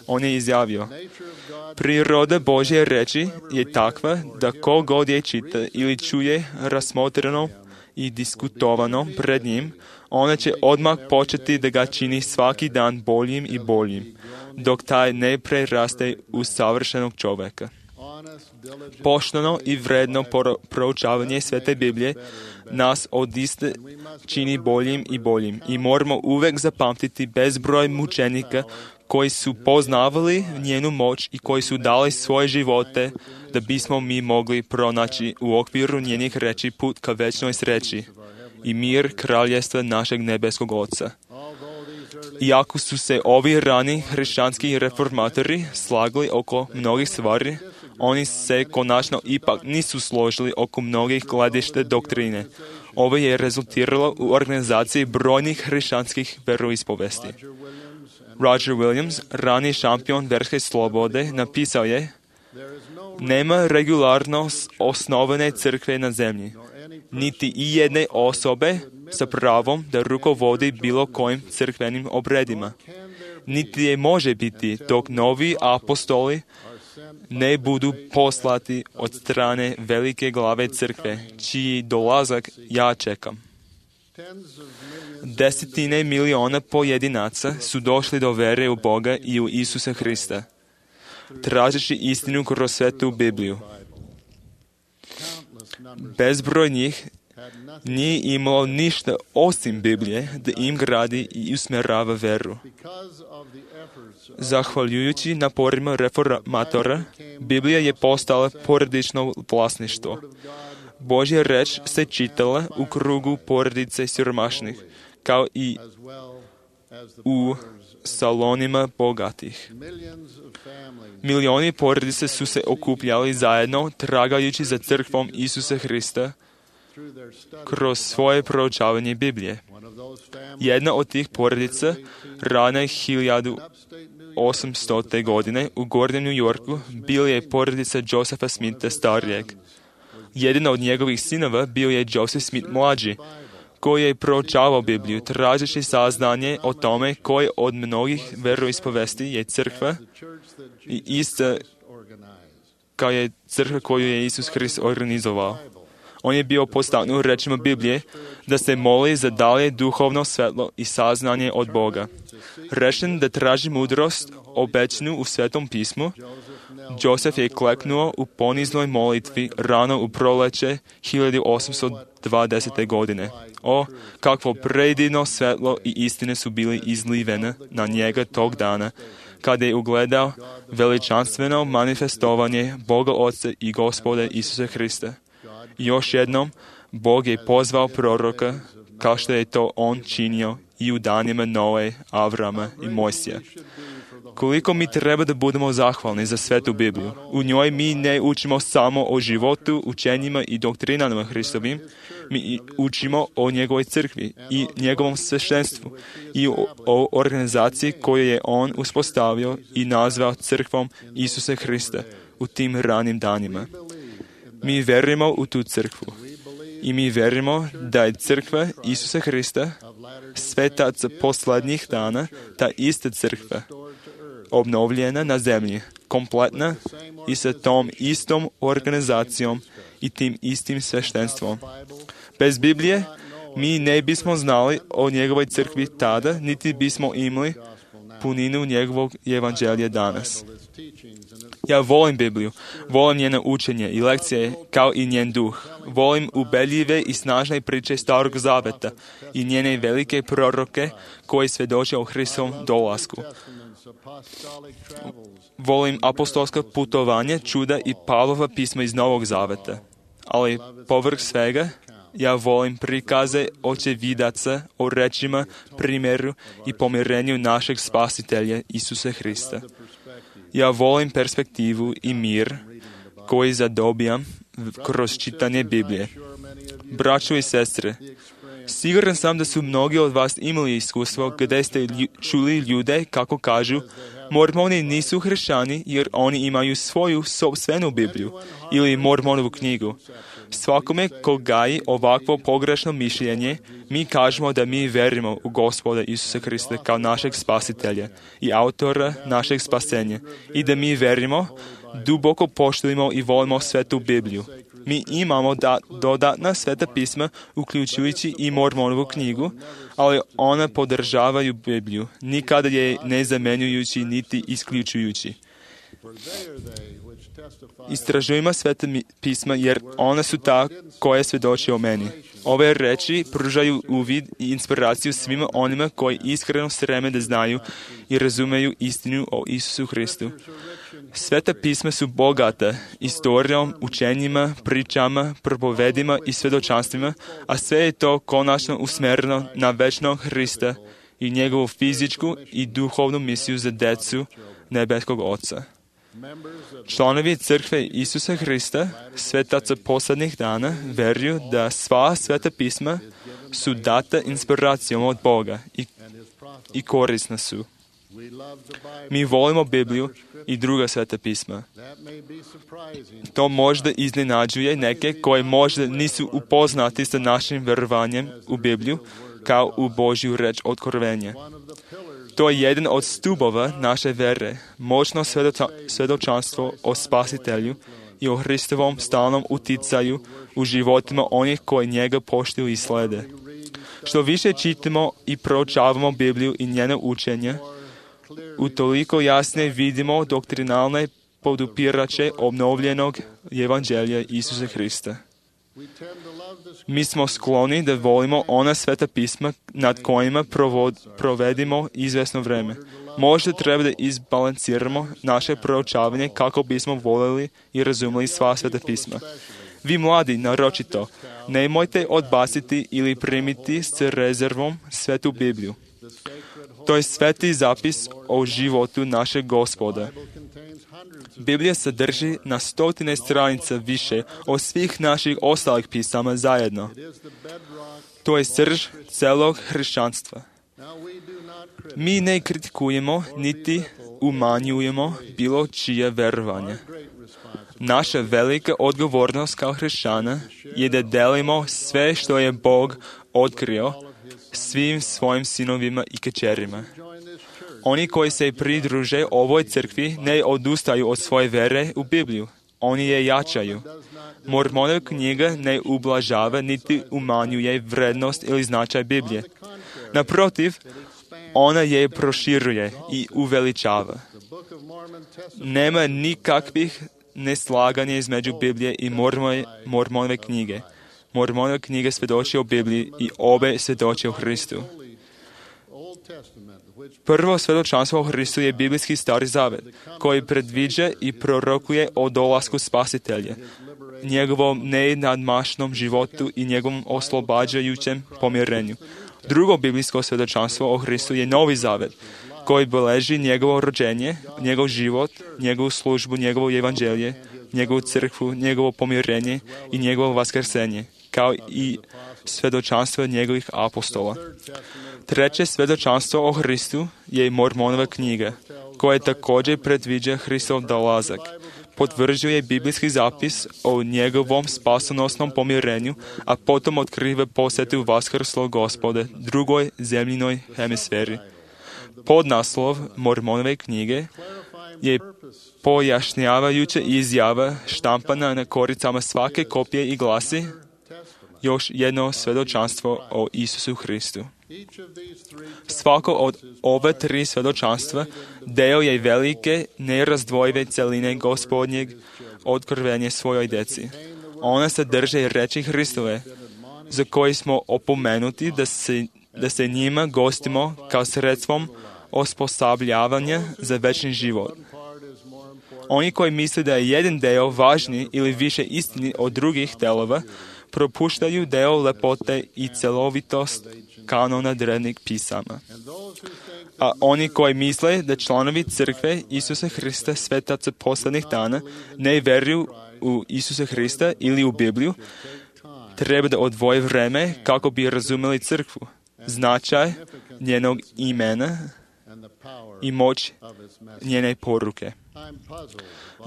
On je izjavio: priroda Božje reči je takva da ko god je čita ili čuje rasmotreno i diskutovano pred njim, ona će odmah početi da ga čini svaki dan boljim i boljim, dok taj ne preraste u savršenog čovjeka. Pošteno i vredno proučavanje Svete Biblije nas odiste čini boljim i boljim i moramo uvek zapamtiti bezbroj mučenika koji su poznavali njenu moć i koji su dali svoje živote da bismo mi mogli pronaći u okviru njenih reči put ka večnoj sreći i mir kraljestva našeg nebeskog Oca. Iako su se ovi rani hrišćanski reformatori slagali oko mnogih stvari, oni se konačno ipak nisu složili oko mnogih gledišta doktrine. Ovo je rezultiralo u organizaciji brojnih hrišćanskih veroispovesti. Roger Williams, rani šampion verske slobode, napisao je: nema regularno osnovane crkve na zemlji, niti i jedne osobe sa pravom da rukovodi bilo kojim crkvenim obredima. Niti je može biti dok novi apostoli ne budu poslati od strane velike glave crkve, čiji dolazak ja čekam. Desetine miliona pojedinaca su došli do vere u Boga i u Isusa Hrista, tražeći istinu kroz svetu Bibliju. Bezbroj njih nije imalo ništa osim Biblije da im gradi i usmjerava veru. Zahvaljujući naporima reformatora, Biblija je postala porodično vlasništvo. Božja reč se čitala u krugu porodice siromašnih, kao i u salonima bogatih. Milioni porodice su se okupljali zajedno, tragajući za crkvom Isusa Hrista kroz svoje proučavanje Biblije. Jedna od tih porodica, rane 1800. godine u Gornjem New Yorku, bila je porodica Josepha Smitha starijeg. Jedan od njegovih sinova bio je Joseph Smith mlađi, koji je proučavao Bibliju, tražeći saznanje o tome koje od mnogih veroispovesti je crkva i ista kao je crkva koju je Isus Hrist organizovao. On je bio podstaknut rečima Biblije da se moli za dalje duhovno svetlo i saznanje od Boga. Rešen da traži mudrost obećanu u Svetom pismu, Josef je kleknuo u poniznoj molitvi rano u proleće 1820. godine. O, kakvo predivno svetlo i istine su bili izlivene na njega tog dana, kada je ugledao veličanstveno manifestovanje Boga Oca i Gospoda Isusa Hrista. Još jednom, Bog je pozvao proroka, kao što je to on činio i u danima Noe, Avrama i Mojsija. Koliko mi treba da budemo zahvalni za Svetu Bibliju. U njoj mi ne učimo samo o životu, učenjima i doktrinama Hristovim, mi učimo o njegovoj crkvi i njegovom sveštenstvu i o organizaciji koju je on uspostavio i nazvao crkvom Isusa Hrista u tim ranim danima. Mi verujemo u tu crkvu i mi verujemo da je crkva Isusa Hrista, svetaca poslednjih dana, ta ista crkva, obnovljena na zemlji, kompletna i sa tom istom organizacijom i tim istim sveštenstvom. Bez Biblije mi ne bismo znali o njegovoj crkvi tada, niti bismo imali puninu njegovog evanđelja danas. Ja volim Bibliju, volim njeno učenje i lekcije kao i njen duh. Volim ubedljive i snažne priče Starog Zaveta i njene velike proroke koji svedoče o Hristovom dolasku. Volim apostolska putovanja, čuda i Pavlova pisma iz Novog Zaveta. Ali povrh svega, ja volim prikaze očevidaca o rečima, primjeru i pomirenju našeg Spasitelja Isusa Hrista. Ja volim perspektivu i mir koji zadobijam kroz čitanje Biblije. Braćo i sestre, siguran sam da su mnogi od vas imali iskustvo gdje ste čuli ljude kako kažu Mormoni nisu hrišćani jer oni imaju svoju sopstvenu Bibliju ili Mormonovu knjigu. Svakome ko gaji ovakvo pogrešno mišljenje, mi kažemo da mi verimo u Gospoda Isusa Hrista kao našeg Spasitelja i autora našeg spasenja i da mi verimo, duboko poštujemo i volimo Svetu Bibliju. Mi imamo dodatna sveta pisma, uključujući i Mormonovu knjigu, ali ona podržavaju Bibliju, nikada je ne zamenjujući niti isključujući. Istražujemo sveta pisma jer ona su ta koje svjedoče o meni. Ove reči pružaju uvid i inspiraciju svima onima koji iskreno streme da znaju i razumeju istinu o Isusu Hristu. Sveta pisma su bogata istorijom, učenjima, pričama, propovedima i svjedočanstvima, a sve je to konačno usmjereno na večnog Hrista i njegovu fizičku i duhovnu misiju za decu nebeskog Oca. Članovi crkve Isusa Hrista, svetaca posljednjih dana, veruju da sva sveta pisma su data inspiracijom od Boga i korisna su. Mi volimo Bibliju i druga sveta pisma. To možda iznenađuje neke koji možda nisu upoznati sa našim verovanjem u Bibliju kao u Božju reč otkrovenja. To je jedan od stubova naše vere, moćno svjedočanstvo o Spasitelju i o Hristovom stalnom uticaju u životima onih koji njega poštuju i slede. Što više čitamo i proučavamo Bibliju i njeno učenje, utoliko jasnije vidimo doktrinalne podupirače obnovljenog evanđelja Isusa Hrista. Mi smo skloni da volimo ona sveta pisma nad kojima provedimo izvesno vreme. Možda treba da izbalansiramo naše proučavanje kako bismo voljeli i razumeli sva sveta pisma. Vi mladi, naročito, nemojte odbaciti ili primiti s rezervom svetu Bibliju. To je sveti zapis o životu našeg Gospoda. Biblija sadrži na 100 stranica više od svih naših ostalih pisama zajedno. To je srž celog hrišćanstva. Mi ne kritikujemo niti umanjujemo bilo čije verovanje. Naša velika odgovornost kao hrišćana je da delimo sve što je Bog otkrio svim svojim sinovima i kćerima. Oni koji se pridruže ovoj crkvi ne odustaju od svoje vere u Bibliju. oni je jačaju. Mormonova knjiga ne ublažava niti umanjuje vrednost ili značaj Biblije. Naprotiv, ona je proširuje i uveličava. Nema nikakvih neslaganja između Biblije i Mormonove knjige. Mormonova knjiga svjedoči o Bibliji i obe svjedoči o Hristu. Prvo svjedočanstvo o Hristu je biblijski Stari Zavet, koji predviđa i prorokuje o dolasku Spasitelja, njegovom nenadmašnom životu i njegovom oslobađajućem pomirenju. Drugo biblijsko svjedočanstvo o Hristu je Novi Zavet, koji beleži njegovo rođenje, njegov život, njegovu službu, njegovo evanđelje, njegovu crkvu, njegovo pomirenje i njegovo vaskrsenje, kao i svjedočanstvo njegovih apostola. Treće svjedočanstvo o Hristu je Mormonova knjiga, koja također predviđa Hristov dolazak. Potvrđuje biblijski zapis o njegovom spasonosnom pomirenju, a potom otkriva posjetu vaskrslog Gospoda drugoj zemljinoj hemisferi. Podnaslov Mormonove knjige je pojašnjavajuća izjava štampana na koricama svake kopije i glasi: još jedno svjedočanstvo o Isusu Hristu. Svako od ove tri svjedočanstva deo je velike, nerazdvojive celine Gospodnjeg otkrivenja svojoj djeci. Ona sadrže reči Hristove, za koje smo opomenuti da se njima gostimo kao sredstvom osposobljavanja za večni život. Oni koji misle da je jedan deo važniji ili više istini od drugih delova, propuštaju deo lepote i celovitost kanona drevnih pisama. A oni koji misle da članovi crkve Isusa Hrista, svetaca posljednjih dana, ne vjeruju u Isusa Hrista ili u Bibliju, treba da odvoje vreme kako bi razumjeli crkvu, značaj njenog imena i moć njene poruke.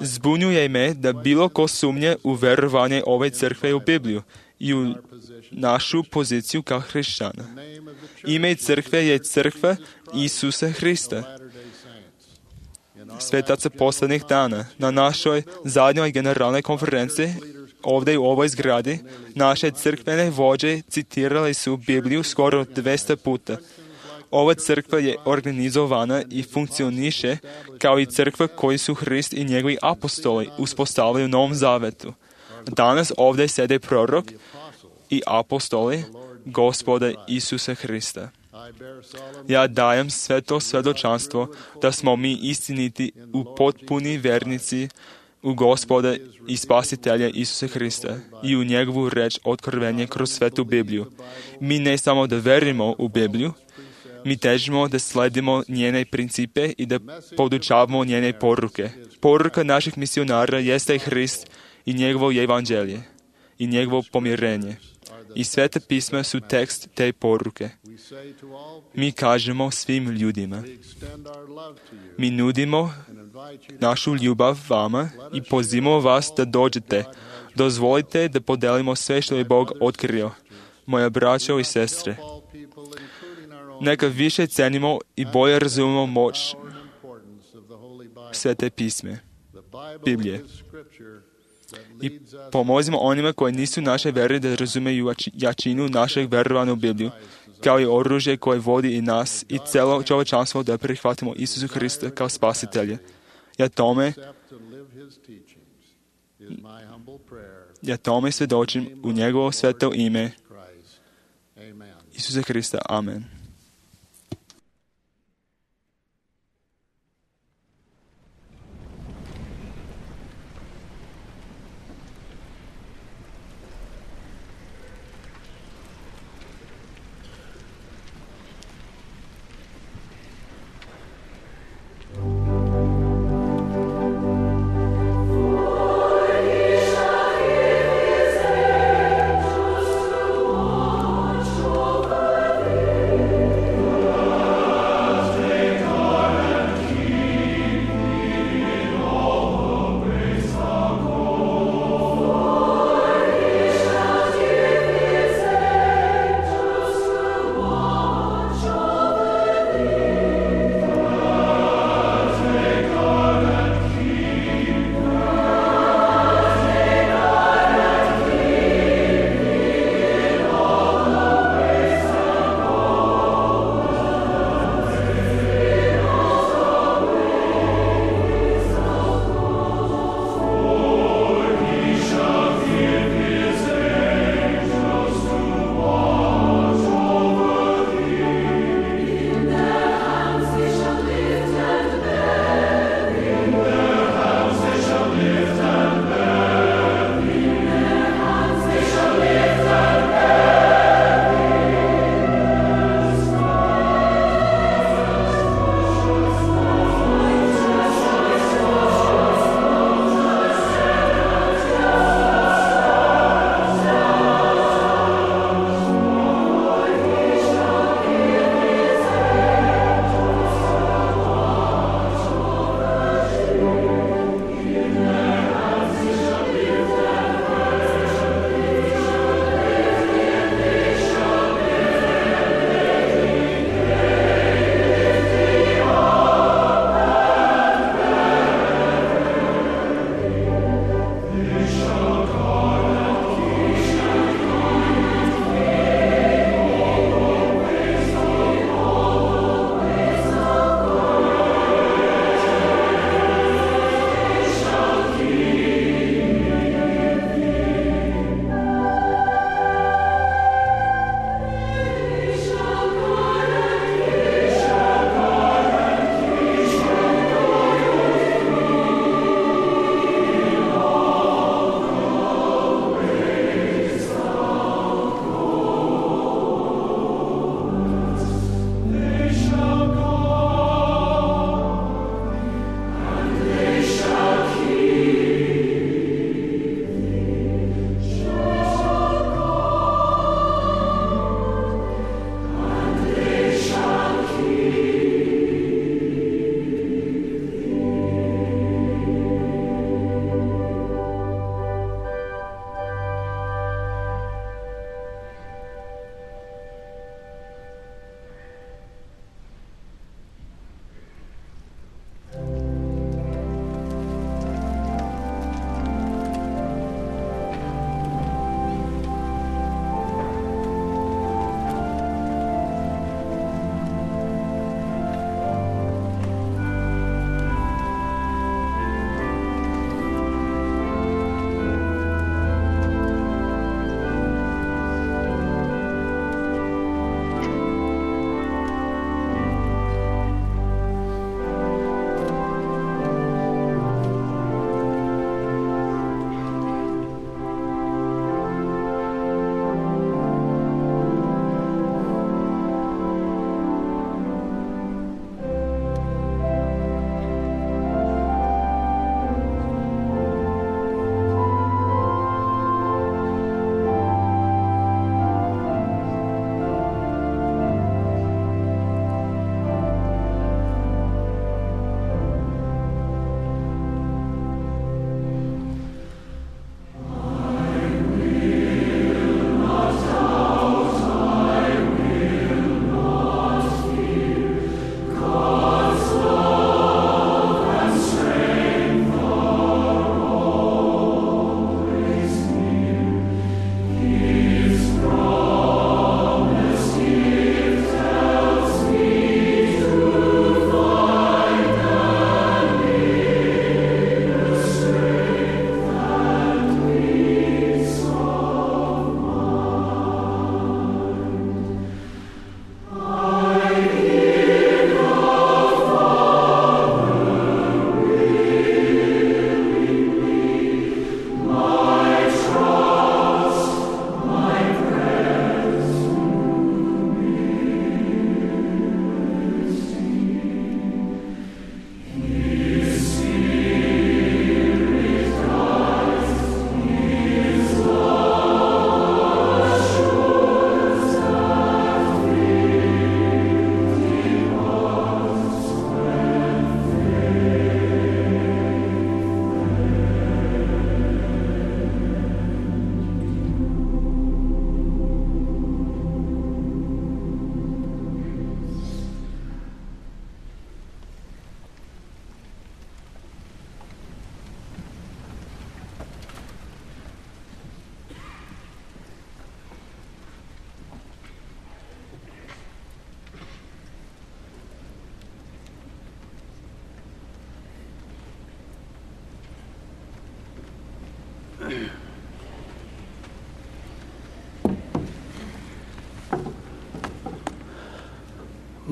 Zbunjuje me da bilo ko sumnje u vjerovanje ove crkve u Bibliju i u našu poziciju kao hrišćana. Ime crkve je crkva Isusa Hrista, svetaca posljednjih dana. Na našoj zadnjoj generalnoj konferenciji ovdje u ovoj zgradi naše crkvene vođe citirali su Bibliju skoro 200 puta. Ova crkva je organizovana i funkcioniše kao i crkva koju su Hrist i njegovi apostoli uspostavili u Novom Zavetu. Danas ovdje sede prorok i apostoli Gospoda Isusa Hrista. Ja dajem sve to svjedočanstvo da smo mi istiniti u potpuni vernici u Gospoda i Spasitelja Isusa Hrista i u njegovu reč otkrivenje kroz svetu Bibliju. Mi ne samo da verujemo u Bibliju, mi težimo da sledimo njene principe i da podučavamo njene poruke. Poruka naših misionara jeste Hrist i njegovo evanđelje i njegovo pomirenje. I sveta pisma su tekst te poruke. Mi kažemo svim ljudima. Mi nudimo našu ljubav vama i pozivamo vas da dođete. Dozvolite da podelimo sve što je Bog otkrio. Moja braćo i sestre, neka više cenimo i bolje razumemo moć svete pisme, Biblije. I pomozimo onima koji nisu naše vjere da razumeju jačinu našeg vjerovanja u Bibliju, kao i oružje koje vodi i nas i celo čovječanstvo da prihvatimo Isusu Hrista kao Spasitelja. Ja tome svjedočim u njegovo sveto ime Isusa Hrista. Amen.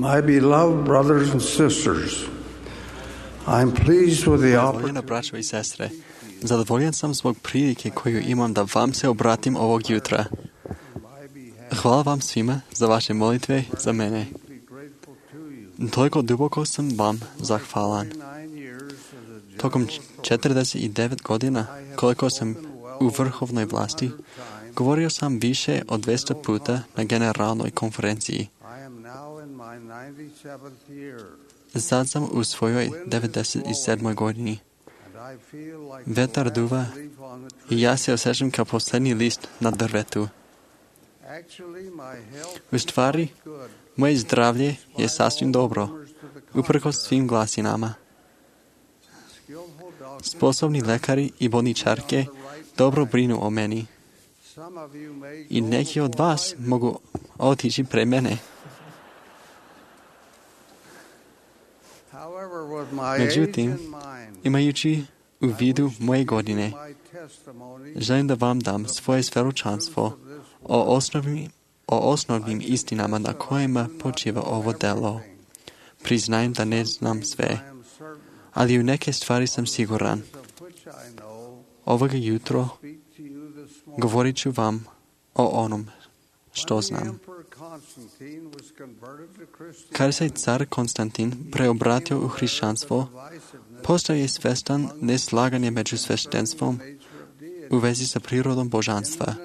My beloved brothers and sisters, I'm pleased with the Voljena braćo i sestre, zadovoljan sam zbog prilike koju imam da vam se obratim ovog jutra. Hvala vam svima za vaše molitve za mene. Toliko duboko sam vam zahvalan. Tokom 49 godina, koliko sam u vrhovnoj vlasti, govorio sam više od 200 puta na generalnoj konferenciji. Sad sam u svojoj 97. godini. Vetar duva i ja se osjećam kao posljednji list na drvetu. U stvari, moje zdravlje je sasvim dobro, uprkos svim glasinama. Sposobni lekari i bolničarke dobro brinu o meni. I neki od vas mogu otići pre mene. Međutim, imajući u vidu moje godine, želim da vam dam svoje svjedočanstvo o osnovnim istinama na kojima počiva ovo delo. Priznajem da ne znam sve, ali u neke stvari sam siguran. Ovoga jutro govorit ću vam o onom što znam. Kada se car Konstantin preobratio u hrišćanstvo, postao je svjestan neslaganje među sveštenstvom u vezi sa prirodom božanstva.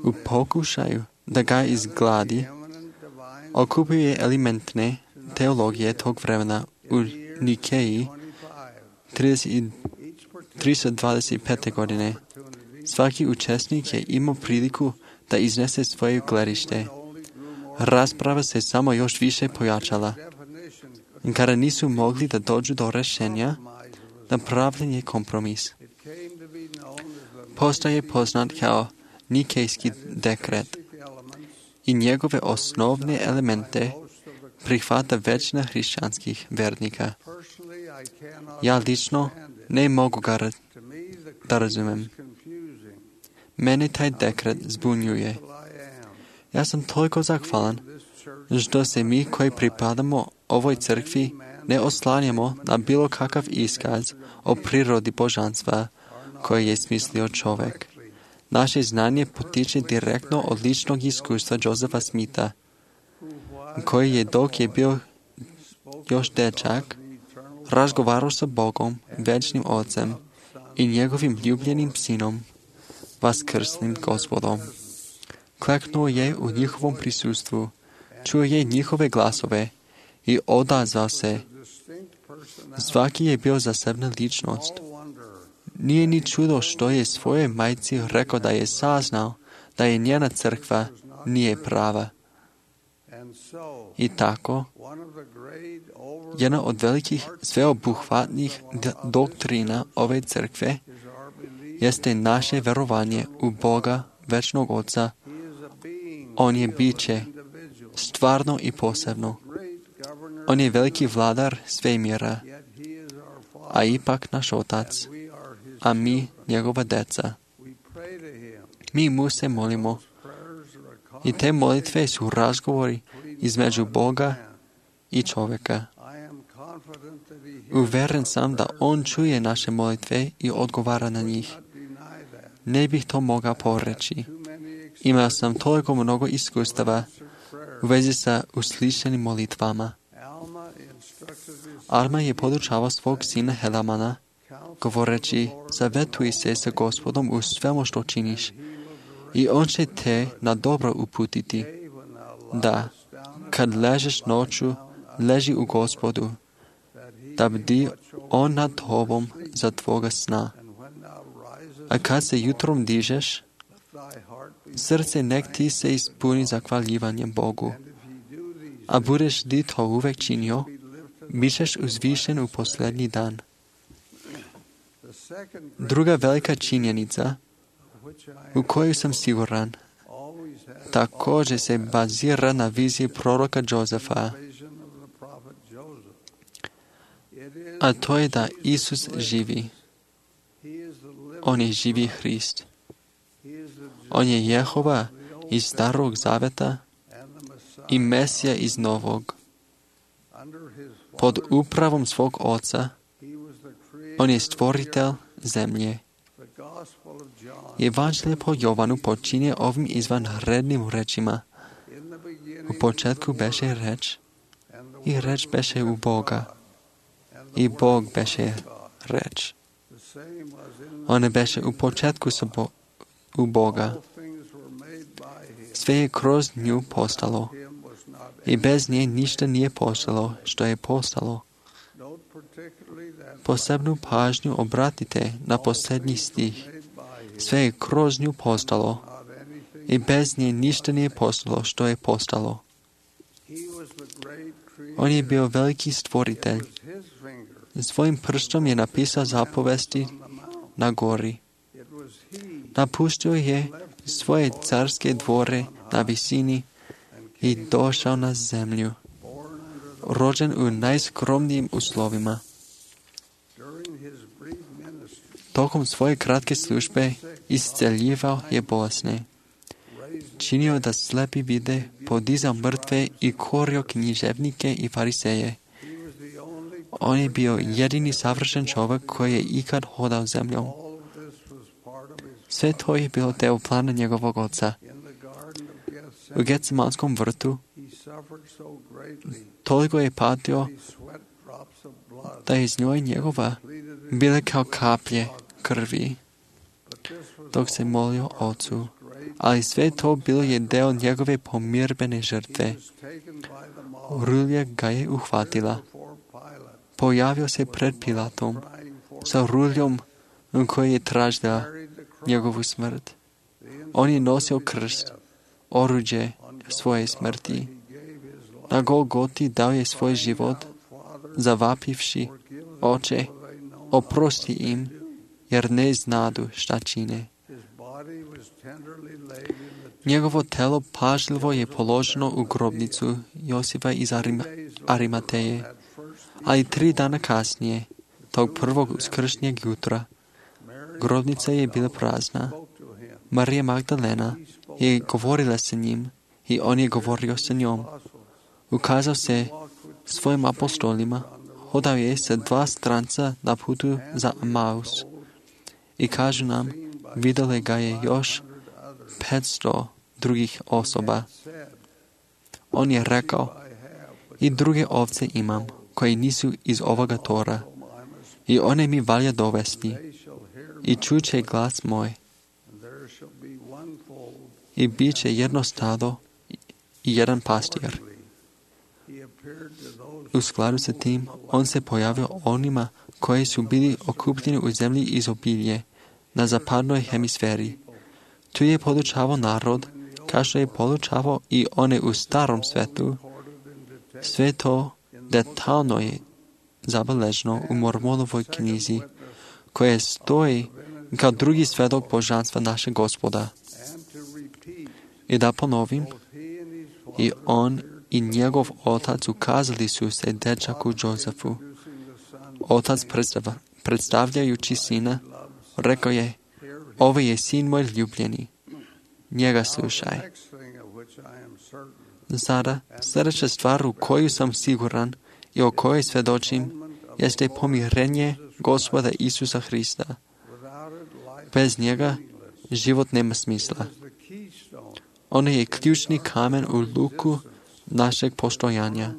U pokušaju da ga izgladi, okupuje elementne teologije tog vremena u Nikeji 325. godine. Svaki učesnik je imao priliku da iznese svoje gledište. Rasprava se samo još više pojačala. Kada nisu mogli da dođu do rješenja, napravljen je kompromis. Postaje poznat kao Nikejski dekret i njegove osnovne elemente prihvata većina hrišćanskih vernika. Ja lično ne mogu ga da razumem. Mene taj dekret zbunjuje. Ja sam toliko zahvalan što se mi koji pripadamo ovoj crkvi ne oslanjamo na bilo kakav iskaz o prirodi božanstva koje je smislio čovjek. Naše znanje potiče direktno od ličnog iskustva Josefa Smitha, koji je dok je bio još dečak razgovarao sa Bogom, večnim Ocem i njegovim ljubljenim sinom, vaskrslim Gospodom. Kleknuo je u njihovom prisustvu, čuo je njihove glasove i odazvao se. Svaki je bio zasebna ličnost. Nije ni čudo što je svoje majci rekao da je saznao da je njena crkva nije prava. I tako, jedna od velikih sveobuhvatnih doktrina ove crkve jeste naše verovanje u Boga, večnog Oca. On je biće, stvarno i posebno. On je veliki vladar svemira, a ipak naš Otac, a mi njegova deca. Mi mu se molimo i te molitve su razgovori između Boga i čovjeka. Uveren sam da on čuje naše molitve i odgovara na njih. Ne bih to mogao poreći. Imao sam toliko mnogo iskustava u vezi sa uslišenim molitvama. Alma je podučavao svog sina Helamana, govoreći, zavetuj se sa Gospodom u svemu što činiš i on će te na dobro uputiti. Da, kad ležeš noću, leži u Gospodu, da bdi on nad tobom za tvoga sna. A kad se jutrom dižeš, srce nek ti se ispuni zahvaljivanjem Bogu. A budeš li to uvek činio, bićeš uzvišen u posljednji dan. Druga velika činjenica u koju sam siguran također se bazira na viziji proroka Jozefa, a to je da Isus živi. On je živi Hrist. On je Jehova iz Starog Zaveta i Mesija iz Novog. Pod upravom svog oca, on je stvoritelj zemlje. Evanđelje po Jovanu počinje ovim izvanrednim rečima. U početku beše reč, i reč beše u Boga, i Bog beše reč. Ona beše u početku u Boga. Sve je kroz nju postalo. I bez nje ništa nije postalo što je postalo. Posebnu pažnju obratite na posljednji stih. Sve je kroz nju postalo. I bez nje ništa nije postalo što je postalo. On je bio veliki stvoritelj. Svojim prstom je napisao zapovesti na gori. Napustio je svoje carske dvore na visini i došao na zemlju. Rođen u najskromnijim uslovima. Tokom svoje kratke službe isceljivao je bolesne. Činio da slepi vide, podizao mrtve i korio književnike i fariseje. On je bio jedini savršen čovjek koji je ikad hodao zemljom. Sve to je bilo deo plana njegovog oca. U Getsemanskom vrtu toliko je patio da iz njoj njegova bile kao kaplje krvi dok se molio ocu. Ali sve to bilo je deo njegove pomirbene žrtve. Rulja ga je uhvatila. Pojavio se pred Pilatom sa ruljom koji je tražila njegovu smrt. On je nosio krst, oruđe svoje smrti. Na Golgoti dao je svoj život, zavapivši: Oče, oprosti im, jer ne znadu šta čine. Njegovo telo pažljivo je položeno u grobnicu Josipa iz Arimateje, ali 3 dana kasnije, tog prvog uskršnjeg jutra, grobnica je bila prazna. Marija Magdalena je govorila sa njim i on je govorio sa njom. Ukazao se svojim apostolima, hodao je sa 2 stranca na putu za Emaus. I kažu nam, vidjeli ga je još 500 drugih osoba. On je rekao: I druge ovce imam, koji nisu iz ovoga tora, i one mi valja dovesti, i čuće glas moj. I bit će jedno stado i jedan pastir. U skladu sa tim, on se pojavio onima koji su bili okupljeni u zemlji izobilje, na zapadnoj hemisferi. Tu je podučavao narod, kao što je podučavao i one u starom svetu. Sve to detaljno je zabeleženo u Mormonovoj knjizi, koja stoji kao drugi svedok božanstva našeg Gospoda. I da ponovim, i on i njegov otac ukazali su se dečaku Josefu. Otac predstavljajući sina, rekao je: Ovo je sin moj ljubljeni, njega slušaj. Sada, sljedeća stvar u koju sam siguran i o kojoj svjedočim, jeste pomirenje Gospoda Isusa Hrista. Bez njega život nema smisla. Ono je ključni kamen u luku našeg postojanja.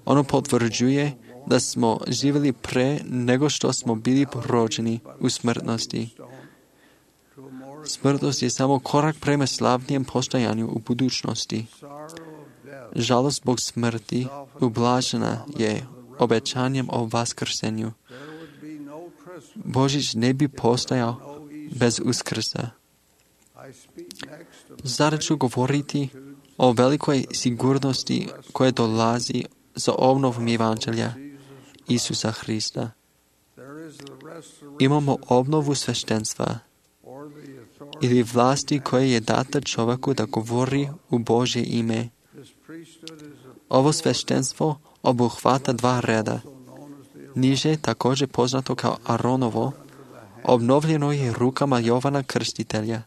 Ono potvrđuje da smo živjeli pre nego što smo bili rođeni u smrtnosti. Smrtnost je samo korak prema slavnijem postojanju u budućnosti. Žalost zbog smrti ublažena je obećanjem o vaskrsenju. Božić ne bi postojao bez uskrsa. Sada ću govoriti o velikoj sigurnosti koja dolazi za obnovom evanđelja Isusa Hrista. Imamo obnovu sveštenstva ili vlasti koje je data čovjeku da govori u Božje ime. Ovo sveštenstvo obuhvata 2 reda. Niže, također poznato kao Aronovo, obnovljeno je rukama Jovana Krstitelja.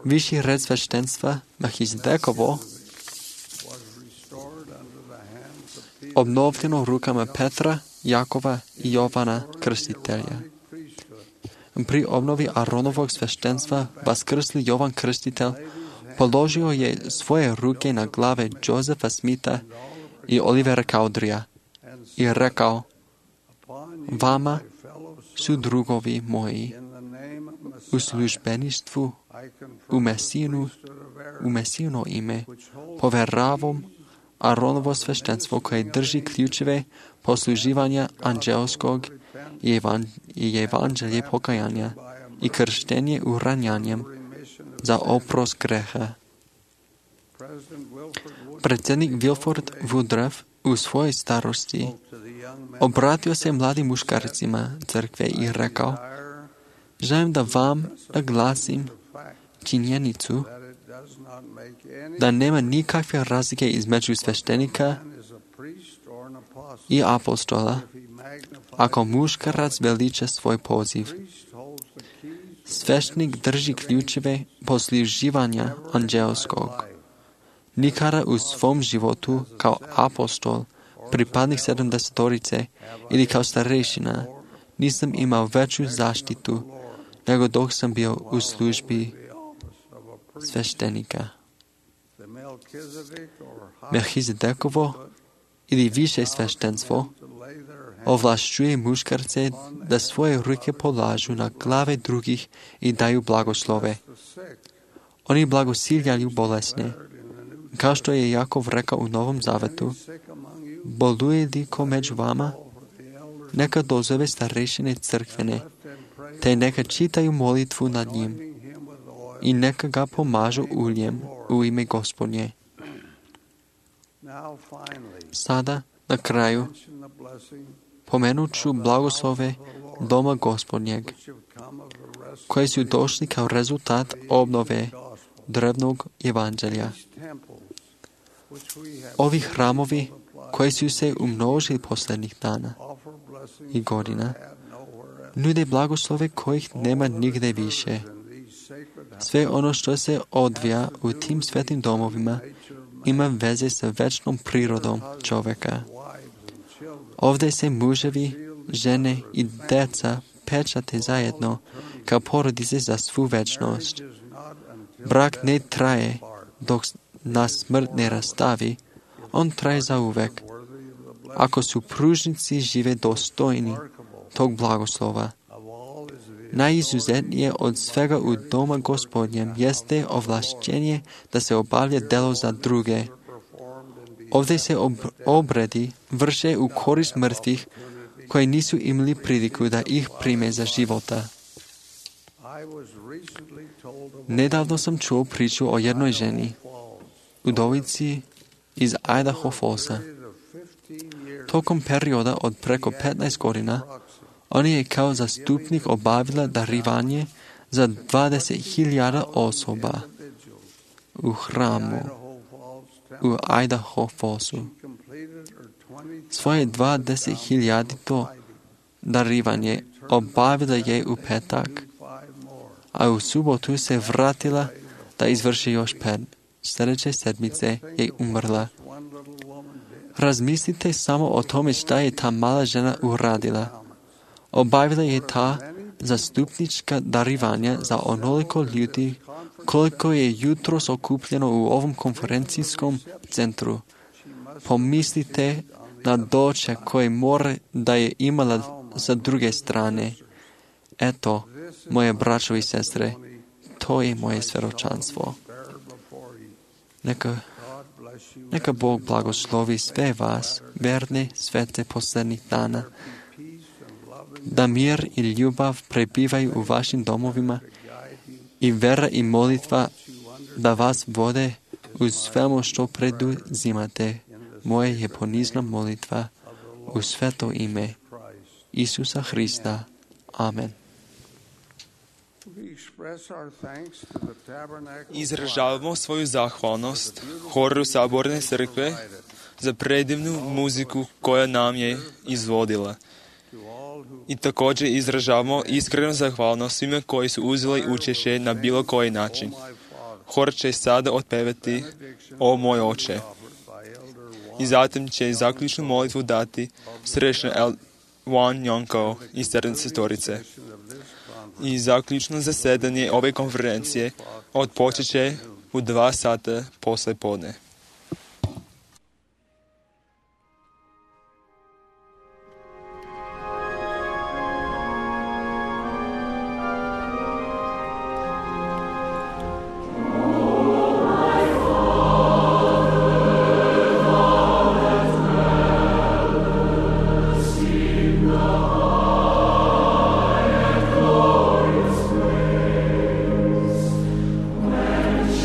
Viši red sveštenstva, Melchizedekovo, obnovljeno rukama Petra, Jakova i Jovana Krstitelja. Pri obnovi Aronovog sveštenstva vaskrsli Jovan Krstitelj položio je svoje ruke na glave Josefa Smitha i Olivera Cowderya i rekao: vama su drugovi moji u službeništvu u Mesijino ime poveravom Aronovo sveštenstvo koje drži ključeve posluživanja anđelskog i evanđelje pokajanja i krštenje uranjanjem za oprost greha. Predsjednik Wilford Woodruff u svojoj starosti obratio se mladim muškarcima crkve i rekao: želim da vam naglasim činjenicu da nema nikakve razlike između sveštenika i apostola ako muškarac veliča svoj poziv. Sveštenik drži ključeve posluživanja anđelskog. Nikada u svom životu kao apostol, pripadnik 70-torice ili kao starešina nisam imao veću zaštitu nego dok sam bio u službi sveštenika. Melchizedekovo ili više sveštenstvo ovlašćuje muškarce da svoje ruke polažu na glave drugih i daju blagoslove. Oni blagosiljaju bolesne. Kao što je Jakov rekao u Novom Zavetu: boluje li ko među vama? Neka dozove starešine crkvene, te neka čitaju molitvu nad njim i neka ga pomažu uljem u ime Gospodnje. Sada, na kraju, pomenut ću blagoslove Doma Gospodnjeg, koji su došli kao rezultat obnove drevnog evanđelja. Ovi hramovi koji su se umnožili posljednjih dana i godina nude blagoslove kojih nema nigde više. Sve ono što se odvija u tim svetim domovima ima veze sa večnom prirodom čovjeka. Ovdje se muževi, žene i djeca pečate zajedno kao porodice za svu večnost. Brak ne traje dok nas smrt ne rastavi, on traje zauvek. Ako supružnici žive dostojni tog blagoslova. Najizuzetnije od svega u Doma Gospodnjem jeste ovlašćenje da se obavlja delo za druge. Ovdje se obredi vrše u korist mrtvih koji nisu imali priliku da ih prime za života. Nedavno sam čuo priču o jednoj ženi, udovici iz Idaho Fallsa. Tokom perioda od preko 15 godina, on je kao zastupnik obavila darivanje za 20.000 osoba u hramu u Idaho Fallsu. Svoje 20.000 darivanje obavila je u petak, a u subotu se vratila da izvrši još 5. Sljedeće sedmice je umrla. Razmislite samo o tome šta je ta mala žena uradila. Obavila je ta zastupnička darivanja za onoliko ljudi koliko je jutros okupljeno u ovom konferencijskom centru. Pomislite na doček koje more da je imala sa druge strane. Eto, moje braćo i sestre, to je moje svjedočanstvo. Neka Bog blagoslovi sve vas, verne, svete posljednjih dana, da mir i ljubav prebivaju u vašim domovima i vera i molitva da vas vode u svemu što preduzimate. Moje je ponizna molitva u sveto ime Isusa Hrista. Amen. Izražavamo svoju zahvalnost horu Saborne crkve za predivnu muziku koja nam je izvodila. I također izražavamo iskrenu zahvalnost svima koji su uzeli učešće na bilo koji način. Hor će sada otpevati O moj oče. i zatim će zaključnu molitvu dati središnja Juan Njonko iz Srednice Storice. I zaključno zasedanje ove konferencije odpočet će u 2 sata posle podne.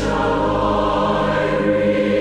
Shall I read?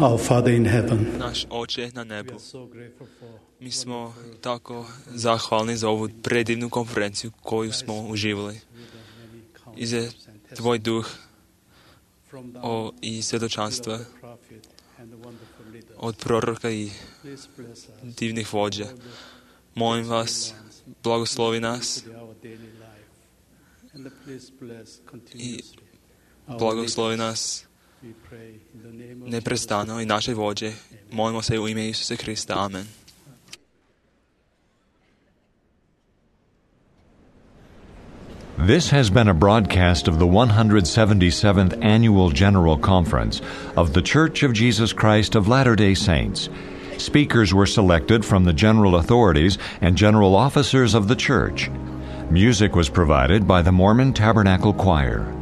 Our Father in heaven, Naš Oče na nebu, mi smo tako zahvalni za ovu predivnu konferenciju koju smo uživali. I za Tvoj duh i svjedočanstva od proroka i divnih vođa. Molim vas, blagoslovi nas i blagoslovi nas neprestano i naše vođe. Molimo se u ime Isusa Krista. Amen. This has been a broadcast of the 177th Annual General Conference of the Church of Jesus Christ of Latter-day Saints. Speakers were selected from the general authorities and general officers of the church. Music was provided by the Mormon Tabernacle Choir.